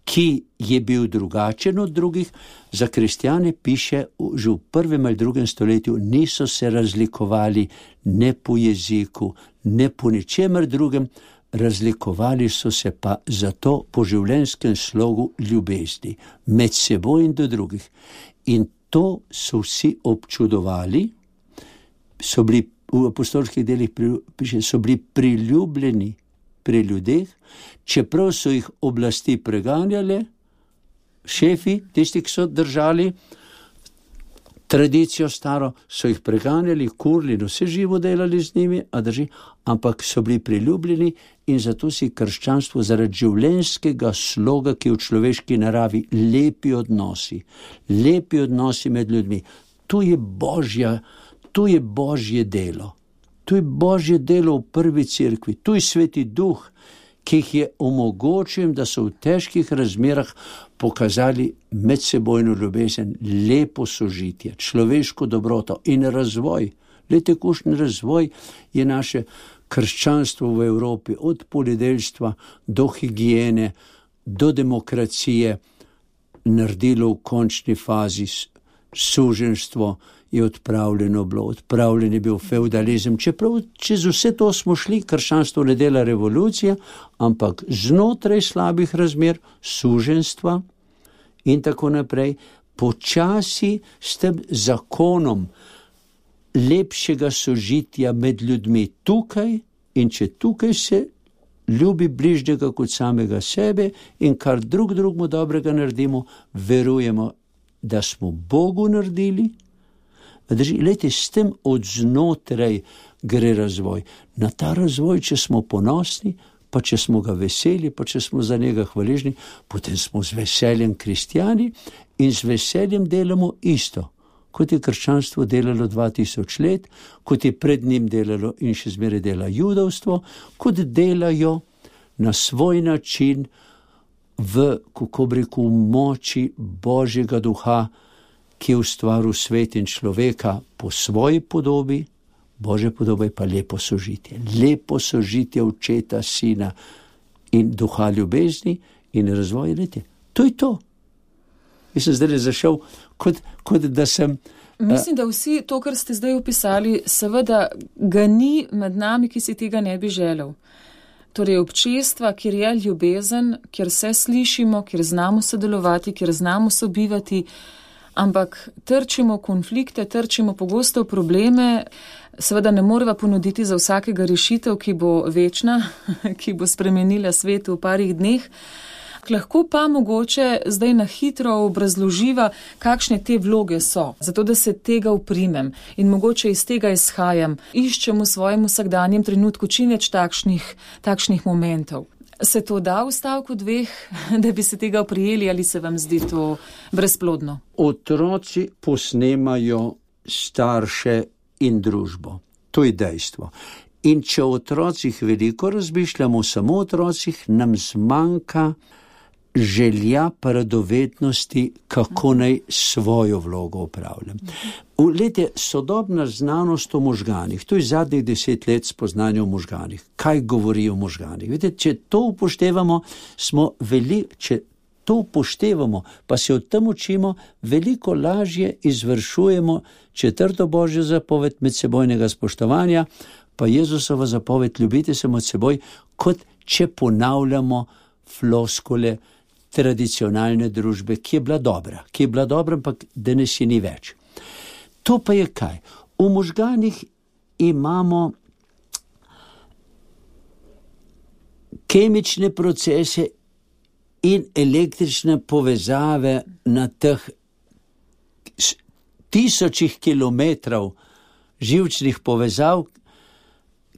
ki je bil drugačen od drugih. Za kristjane piše, že v prvem ali drugem stoletju niso se razlikovali ne po jeziku, ne po ničemer drugem, razlikovali so se pa zato po življenjskem slogu ljubezni, med seboj in do drugih. In to so vsi občudovali, so bili v apostolskih delih, piše, so bili priljubljeni pri ljudeh, čeprav so jih oblasti preganjale, šefi, tisti, ki so držali tradicijo staro, so jih preganjali, kurli, no vse živo delali z njimi, a drži, ampak so bili priljubljeni in zato si krščanstvo zaradi življenjskega sloga, ki je v človeški naravi, lepi odnosi, lepi odnosi med ljudmi. To je Božja, to je Božje delo. To je Božje delo v prvi cerkvi, to je Sveti Duh, ki jih je omogočil, da so v težkih razmerah pokazali medsebojno ljubezen, lepo sožitje, človeško dobroto in razvoj. Lejte, kakšen razvoj je naše krščanstvo v Evropi, od poljedelstva do higiene, do demokracije, naredilo v končni fazi. Suženjstvo je odpravljeno bilo, odpravljen je bil feudalizem, čeprav čez vse to smo šli, krščanstvo ne dela revolucija, ampak znotraj slabih razmer, suženjstva in tako naprej, počasi s tem zakonom lepšega sožitja med ljudmi tukaj, in če tukaj se ljubi bližnjega kot samega sebe in kar drug drugmu dobrega naredimo, verujemo, da smo Bogu naredili. Lejte, s tem od znotraj gre razvoj. Na ta razvoj, če smo ponosni, pa če smo ga veseli, pa če smo za njega hvaležni, potem smo z veseljem kristjani in z veseljem delamo isto, kot je krščanstvo delalo dva tisoč let, kot je pred njim delalo in še zmeraj dela judovstvo, kot delajo na svoj način v, kako bi rekel, moči Božjega duha, ki je ustvaril svet in človeka po svoji podobi. Božja podoba je pa lepo sožitje. Lepo sožitje očeta, sina in duha ljubezni in razvoj. Lete. To je to. Jaz sem zdaj zašel, kot, kot da sem... Mislim, da vsi to, kar ste zdaj opisali, seveda ga ni med nami, ki si tega ne bi želel. Torej občestva, kjer je ljubezen, kjer se slišimo, kjer znamo sodelovati, kjer znamo sobivati, ampak trčimo konflikte, trčimo pogosto probleme, seveda ne moreva ponuditi za vsakega rešitev, ki bo večna, ki bo spremenila svet v parih dneh. Lahko pa mogoče zdaj na hitro obrazloživa, kakšne te vloge so, zato da se tega uprimem in mogoče iz tega izhajam, iščem v svojem vsakdanjem trenutku čim več takšnih, takšnih momentov. Se to da v stavku dveh, da bi se tega oprijeli, ali se vam zdi to brezplodno? Otroci posnemajo starše in družbo. To je dejstvo. In če o otrocih veliko razmišljamo, samo o otrocih, nam zmanjka želja pa radovednosti, kako naj svojo vlogo upravljam. Lete, sodobna znanost o možganih, to je zadnjih deset let spoznanja o možganih. Kaj govori o možganih? Vidite, če to upoštevamo, smo veliko, če to upoštevamo, pa se o tem učimo, veliko lažje izvršujemo četrto Božjo zapoved medsebojnega spoštovanja, pa Jezusova zapoved ljubite se med seboj, kot če ponavljamo floskule tradicionalne družbe, ki je bila dobra, ki je bila dobra, ampak danes je ni več. To pa je kaj? V možganih imamo kemične procese in električne povezave na teh tisočih kilometrov živčnih povezav,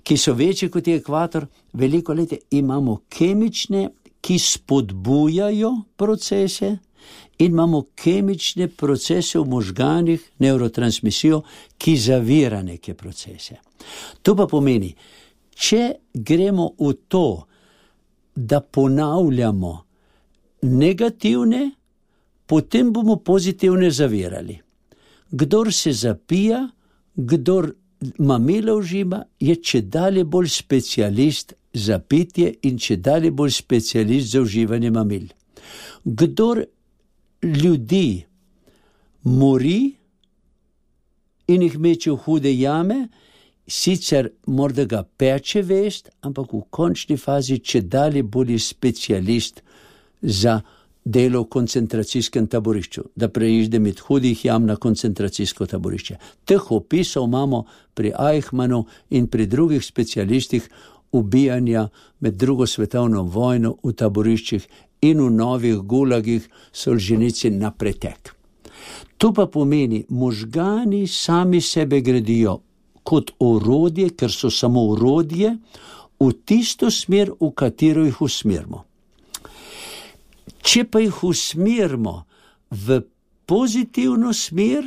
ki so večji kot je ekvator, veliko let imamo kemične, ki spodbujajo procese, in imamo kemične procese v možganih, nevrotransmisijo, ki zavira neke procese. To pa pomeni, če gremo v to, da ponavljamo negativne, potem bomo pozitivne zavirali. Kdor se zapija, kdor mamila užima, je čedalje bolj specialist za pitje in čedalje bolj specialist za uživanje mamil. Kdor ljudi mori in jih meče v hude jame, sicer morda ga peče vest, ampak v končni fazi čedalje bolj specialist za delo v koncentracijskem taborišču, da preide med hudih jam na koncentracijsko taborišče. Teh opisov imamo pri Eichmannu in pri drugih specialistih ubijanja med drugo svetovno vojno v taboriščih in v novih gulagih Solženicin na pretek. To pa pomeni, možgani sami sebe gradijo kot orodje, ker so samo orodje, v tisto smer, v katero jih usmerimo. Če pa jih usmerimo v pozitivno smer,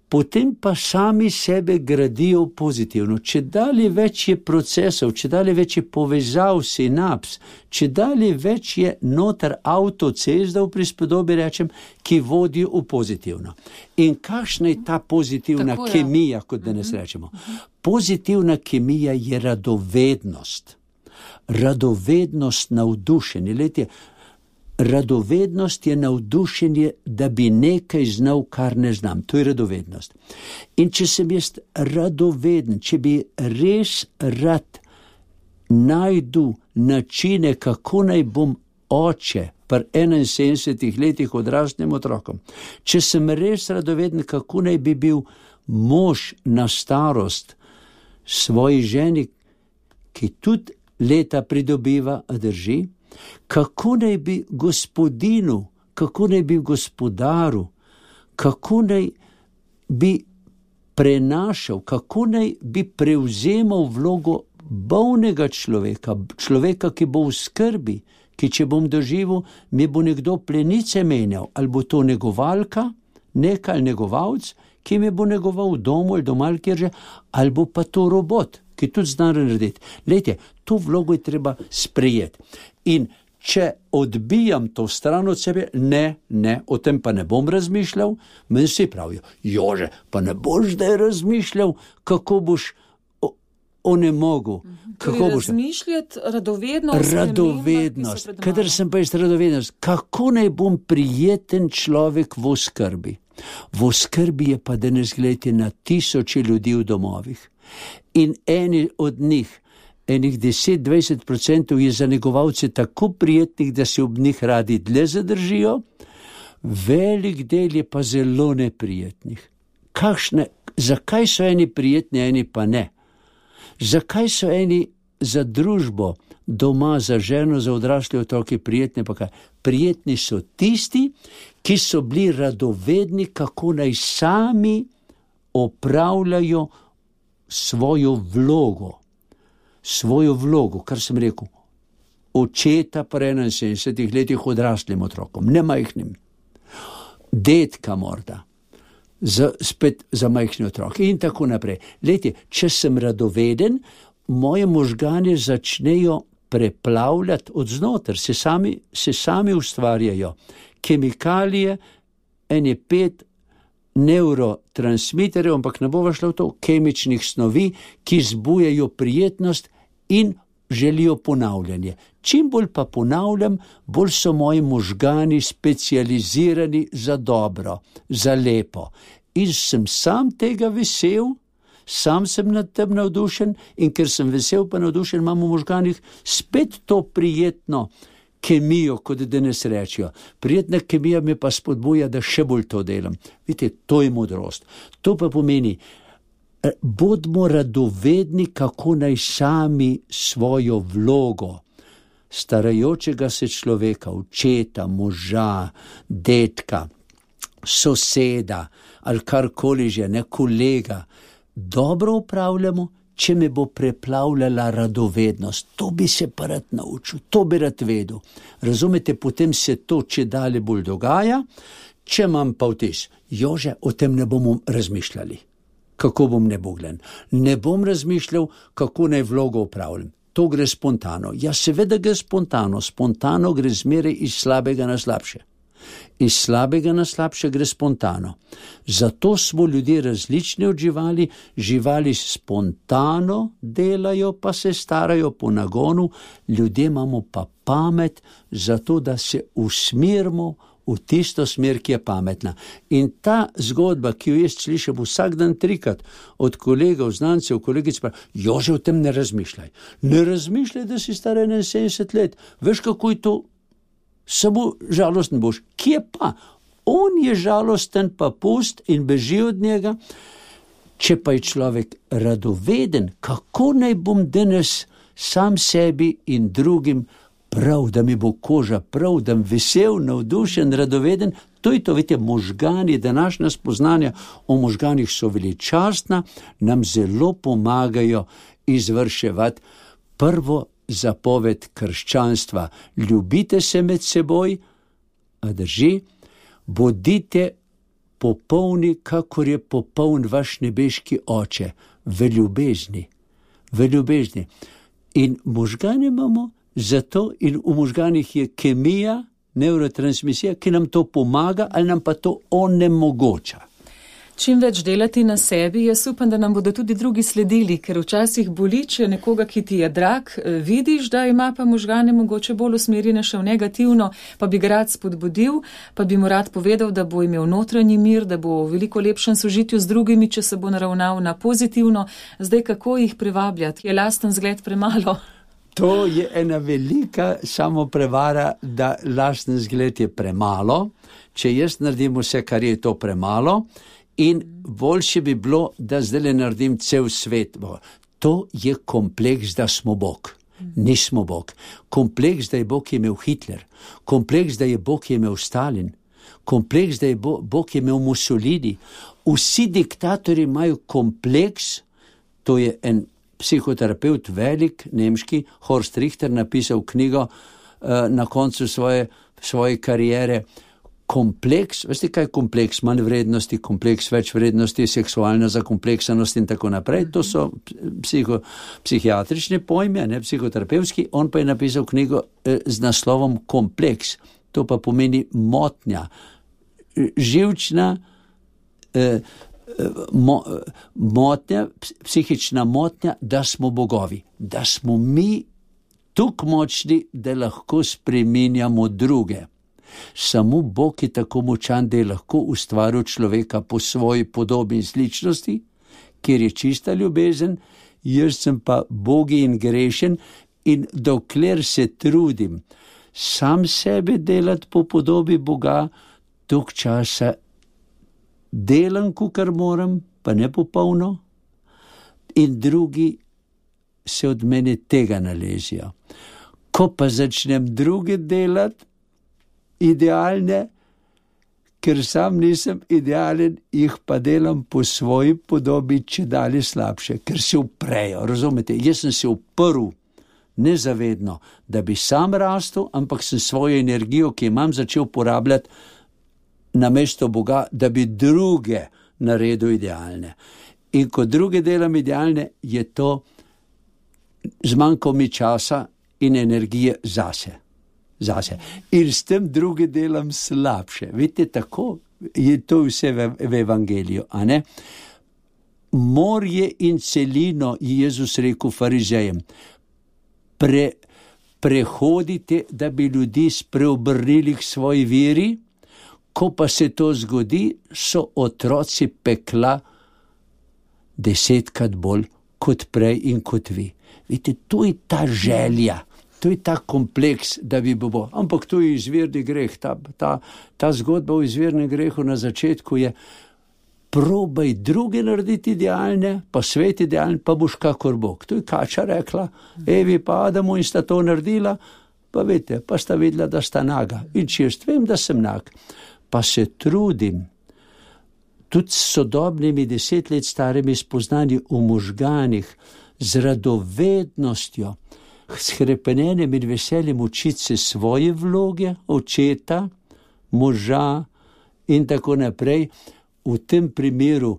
potem pa sami sebe gradijo pozitivno. Če dalje več je procesov, če dalje več je povezav, sinaps, če dalje več je noter avtocesta, v prispodobi rečem, ki vodijo v pozitivno. In kakšna je ta pozitivna Tako, kemija, kot danes uh-huh. rečemo? Pozitivna kemija je radovednost. Radovednost, navdušenje. Letje, radovednost je navdušenje, da bi nekaj znal, kar ne znam. To je radovednost. In če sem jaz radoveden, če bi res rad najdu načine, kako naj bom oče pri enainsedemdesetih letih odraslim otrokom, če sem res radoveden, kako naj bi bil mož na starost svoji ženi, ki tudi leta pridobiva, a drži, kako naj bi gospodinu, kako naj bi gospodaru, kako naj bi prenašal, kako naj bi prevzemal vlogo bolnega človeka, človeka, ki bo v skrbi, ki če bom doživel, mi bo nekdo plenice menjal, ali bo to negovalka, neka ali negovalc, ki mi bo negoval v domu ali doma, kjer že, ali bo pa to robot, ki tudi zna narediti. Lejte, to vlogo je treba sprejeti. In če odbijam to stran od sebe, ne, ne, o tem pa ne bom razmišljal, meni si pravijo, Jože, pa ne boš zdaj razmišljal, kako boš onemogel. Torej razmišljati, radovednost. Radovednost, kadar sem pa jaz radovednost, kako naj bom prijeten človek v oskrbi. V oskrbi je pa danes, gledajte, na tisoče ljudi v domovih. In eni od njih, enih deset do dvajset procentov je za negovalce tako prijetnih, da se ob njih radi dlje zadržijo, velik del je pa zelo neprijetnih. Kakšne, zakaj so eni prijetni, eni pa ne? Zakaj so eni za družbo, doma, za ženo, za odrasle otroke prijetni, pa kaj? Prijetni so tisti, ki so bili radovedni, kako naj sami opravljajo svojo vlogo. Svojo vlogo, kar sem rekel, očeta pri enainsedemdesetih letih odraslim otrokom, ne majhnim, dedka morda, za, spet za majhne otroke in tako naprej. Lejte, če sem radoveden, moje možgane začnejo preplavljati od znotraj, se sami, se sami ustvarjajo. Kemikalije, ene pet neurotransmiterjev, ampak ne bova šla v to, kemičnih snovi, ki zbujajo prijetnost in želijo ponavljanje. Čim bolj pa ponavljam, bolj so moji možgani specializirani za dobro, za lepo. In sem sam tega vesel, sam sem nad tem navdušen in ker sem vesel pa navdušen, imam v možganih spet to prijetno kemijo, kot danes rečijo. Prijetna kemija me pa spodbuja, da še bolj to delam. Vidite, to je modrost. To pa pomeni, bodimo radovedni, kako naj sami svojo vlogo starajočega se človeka, očeta, moža, detka, soseda ali karkoli že, ne, kolega, dobro upravljamo, če me bo preplavljala radovednost. To bi se pa rad naučil, to bi rad vedel. Razumete, potem se to če dalje bolj dogaja, če imam pa vtis, jože, o tem ne bomo razmišljali. Kako bom nebogljen? Ne bom razmišljal, kako naj vlogo upravljam. To gre spontano. Ja, seveda gre spontano. Spontano gre zmeraj iz slabega na slabše. Iz slabega na slabše gre spontano. Zato smo ljudje različni od živali. Živali spontano delajo, pa se starajo po nagonu. Ljudje imamo pa pamet, zato da se usmerimo v tisto smer, ki je pametna. In ta zgodba, ki jo jaz slišim vsak dan trikrat od kolegov, znancev, kolegic, pa, jože, o tem ne razmišljaj. Ne razmišljaj, da si star enainsedemdeset let. Veš, kako je to? Samo žalosten boš. Kje pa? On je žalosten, pa pust in beži od njega. Če pa je človek radoveden, kako naj bom danes sam sebi in drugim prav, da mi bo koža prav, da mi vesel, navdušen, radoveden, to je to, vidite, možgani, današnja spoznanja o možganih so veličastna, nam zelo pomagajo izvrševati prvo zapoved krščanstva. Ljubite se med seboj, a drži, bodite popolni, kakor je popoln vaš nebeški oče, v ljubezni, v ljubezni. In možgane imamo zato in v možganih je kemija, neurotransmisija, ki nam to pomaga ali nam pa to onemogoča. Čim več delati na sebi, jaz upam, da nam bodo tudi drugi sledili, ker včasih boli, če nekoga, ki ti je drag, vidiš, da ima pa možgane mogoče bolj usmerjene še v negativno, pa bi ga rad spodbudil, pa bi mu rad povedal, da bo imel notranji mir, da bo v veliko lepšem sožitju z drugimi, če se bo naravnal na pozitivno. Zdaj, kako jih privabljati? Je lasten zgled premalo? To je ena velika samoprevara, da lasten zgled je premalo. Če jaz naredim vse, kar je to premalo, in boljše bi bilo, da zdaj naredim cel svet. To je kompleks, da smo Bog. Nismo Bog. Kompleks, da je Bog imel Hitler. Kompleks, da je Bog imel Stalin. Kompleks, da je Bog imel Mussolini. Vsi diktatorji imajo kompleks, to je en psihoterapeut, velik, nemški, Horst Richter, napisal knjigo uh, na koncu svoje, svoje karijere. Kompleks, veste kaj je kompleks? Manj vrednosti, kompleks več vrednosti, seksualna zakompleksanost in tako naprej. To so psiho, psihiatrične pojme, ne psihoterapevtski. On pa je napisal knjigo eh, z naslovom Kompleks. To pa pomeni motnja, živčna eh, Mo, motnja, psihična motnja, da smo bogovi, da smo mi tako močni, da lahko spreminjamo druge. Samo Bog je tako močan, da je lahko ustvaril človeka po svoji podobi in sličnosti, kjer je čista ljubezen, jaz sem pa bogi in grešen in dokler se trudim sam sebe delati po podobi Boga, dolg časa delam, kar moram, pa ne popolno, in drugi se od mene tega nalezijo. Ko pa začnem druge delati, idealne, ker sam nisem idealen, jih pa delam po svoji podobi, če dalje slabše, ker se uprejo, razumete? Jaz sem se uprl nezavedno, da bi sam rastel, ampak sem svojo energijo, ki imam, začel porabljati na mesto Boga, da bi druge naredil idealne. In ko druge delam idealne, je to zmanjkalo mi časa in energije zase. zase. In s tem druge delam slabše. Vidite, tako je to vse v, v evangeliju, a ne? Morje in celino, je Jezus rekel farizejem, pre, prehodite, da bi ljudi spreobrnili k svoji veri, ko pa se to zgodi, so otroci pekla desetkrat bolj kot prej in kot vi. Vidite, to je ta želja, to je ta kompleks, da bi bo. Ampak to je izvirni greh, ta, ta, ta zgodba o izvirnem grehu na začetku je: probaj druge narediti idealne, pa svet idealen, pa boš kakor Bog. To je Kača rekla, Evi pa Adamu, in sta to naredila, pa veste, pa sta videla, da sta naga. In če jaz vem, da sem nag, pa se trudim, tudi s sodobnimi deset let starimi spoznanji v možganih, z radovednostjo, s hrepenenjem in veseljem učiti se svoje vloge, očeta, moža in tako naprej. V tem primeru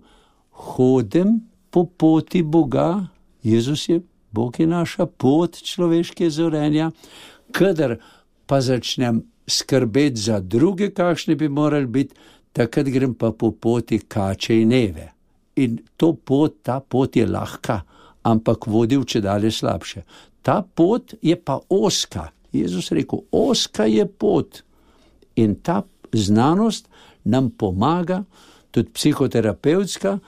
hodim po poti Boga, Jezus je, Bog je naša pot človeške zorenja, kadar pa začnem skrbeti za druge, kakšne bi morali biti, takrat grem pa po poti Kače in Eve. In to pot, ta pot je lahka, ampak vodi v čedalje slabše. Ta pot je pa oska. Jezus rekel, oska je pot. In ta znanost nam pomaga, tudi psihoterapevtska,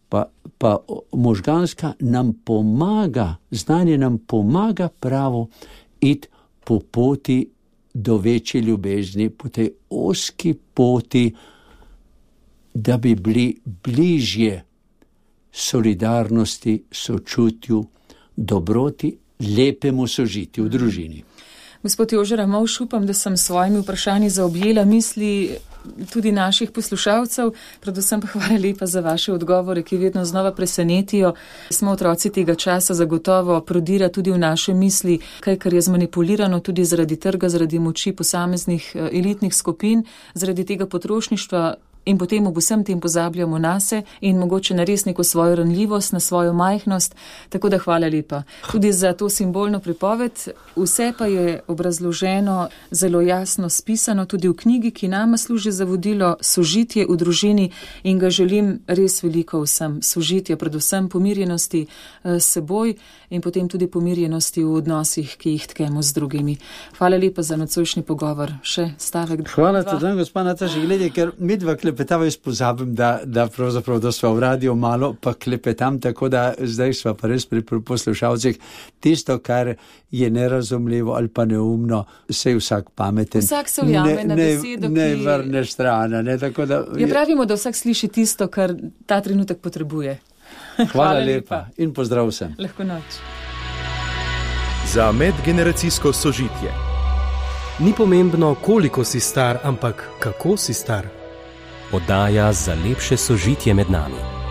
pa, pa možganska, nam pomaga, znanje nam pomaga pravo iti po poti do večje ljubezni, po tej oski poti, da bi bili bližje solidarnosti, sočutju, dobroti, lepemu sožitju v družini. Gospod Jože Ramovš, upam, da sem s svojimi vprašanji zaobjela misli tudi naših poslušalcev, predvsem pa hvala lepa za vaše odgovore, ki vedno znova presenetijo. Smo otroci tega časa, zagotovo prodira tudi v naše misli, kaj kar je zmanipulirano tudi zaradi trga, zaradi moči posameznih elitnih skupin, zaradi tega potrošništva. In potem ob vsem tem pozabljamo nase in mogoče na res neko svojo ranljivost, na svojo majhnost. Tako da hvala lepa tudi za to simbolno pripoved. Vse pa je obrazloženo, zelo jasno spisano tudi v knjigi, ki nama služi za vodilo Sožitje v družini, in ga želim res veliko vsem. Sožitje, predvsem pomirjenosti s seboj in potem tudi pomirjenosti v odnosih, ki jih tkemo z drugimi. Hvala lepa za nocojšnji pogovor. Še stavek. Hvala tudi, gospod Nataša, glede, ker mi dva klepetava, jaz pozabim, da, da pravzaprav, da sva v radio malo, pa klepetam, tako da zdaj sva pa res pri poslušalcih. Tisto, kar je nerazumljivo ali pa neumno, se je vsak pameten. Vsak se ujame ne, na besedo, ne, ki... Ne vrneš strana, ne, tako da... Ja, pravimo, da vsak sliši tisto, kar ta trenutek potrebuje. Hvala, Hvala lepa. lepa in pozdrav vsem. Lahko noč. Za medgeneracijsko sožitje. Ni pomembno, koliko si star, ampak kako si star. Oddaja za lepše sožitje med nami.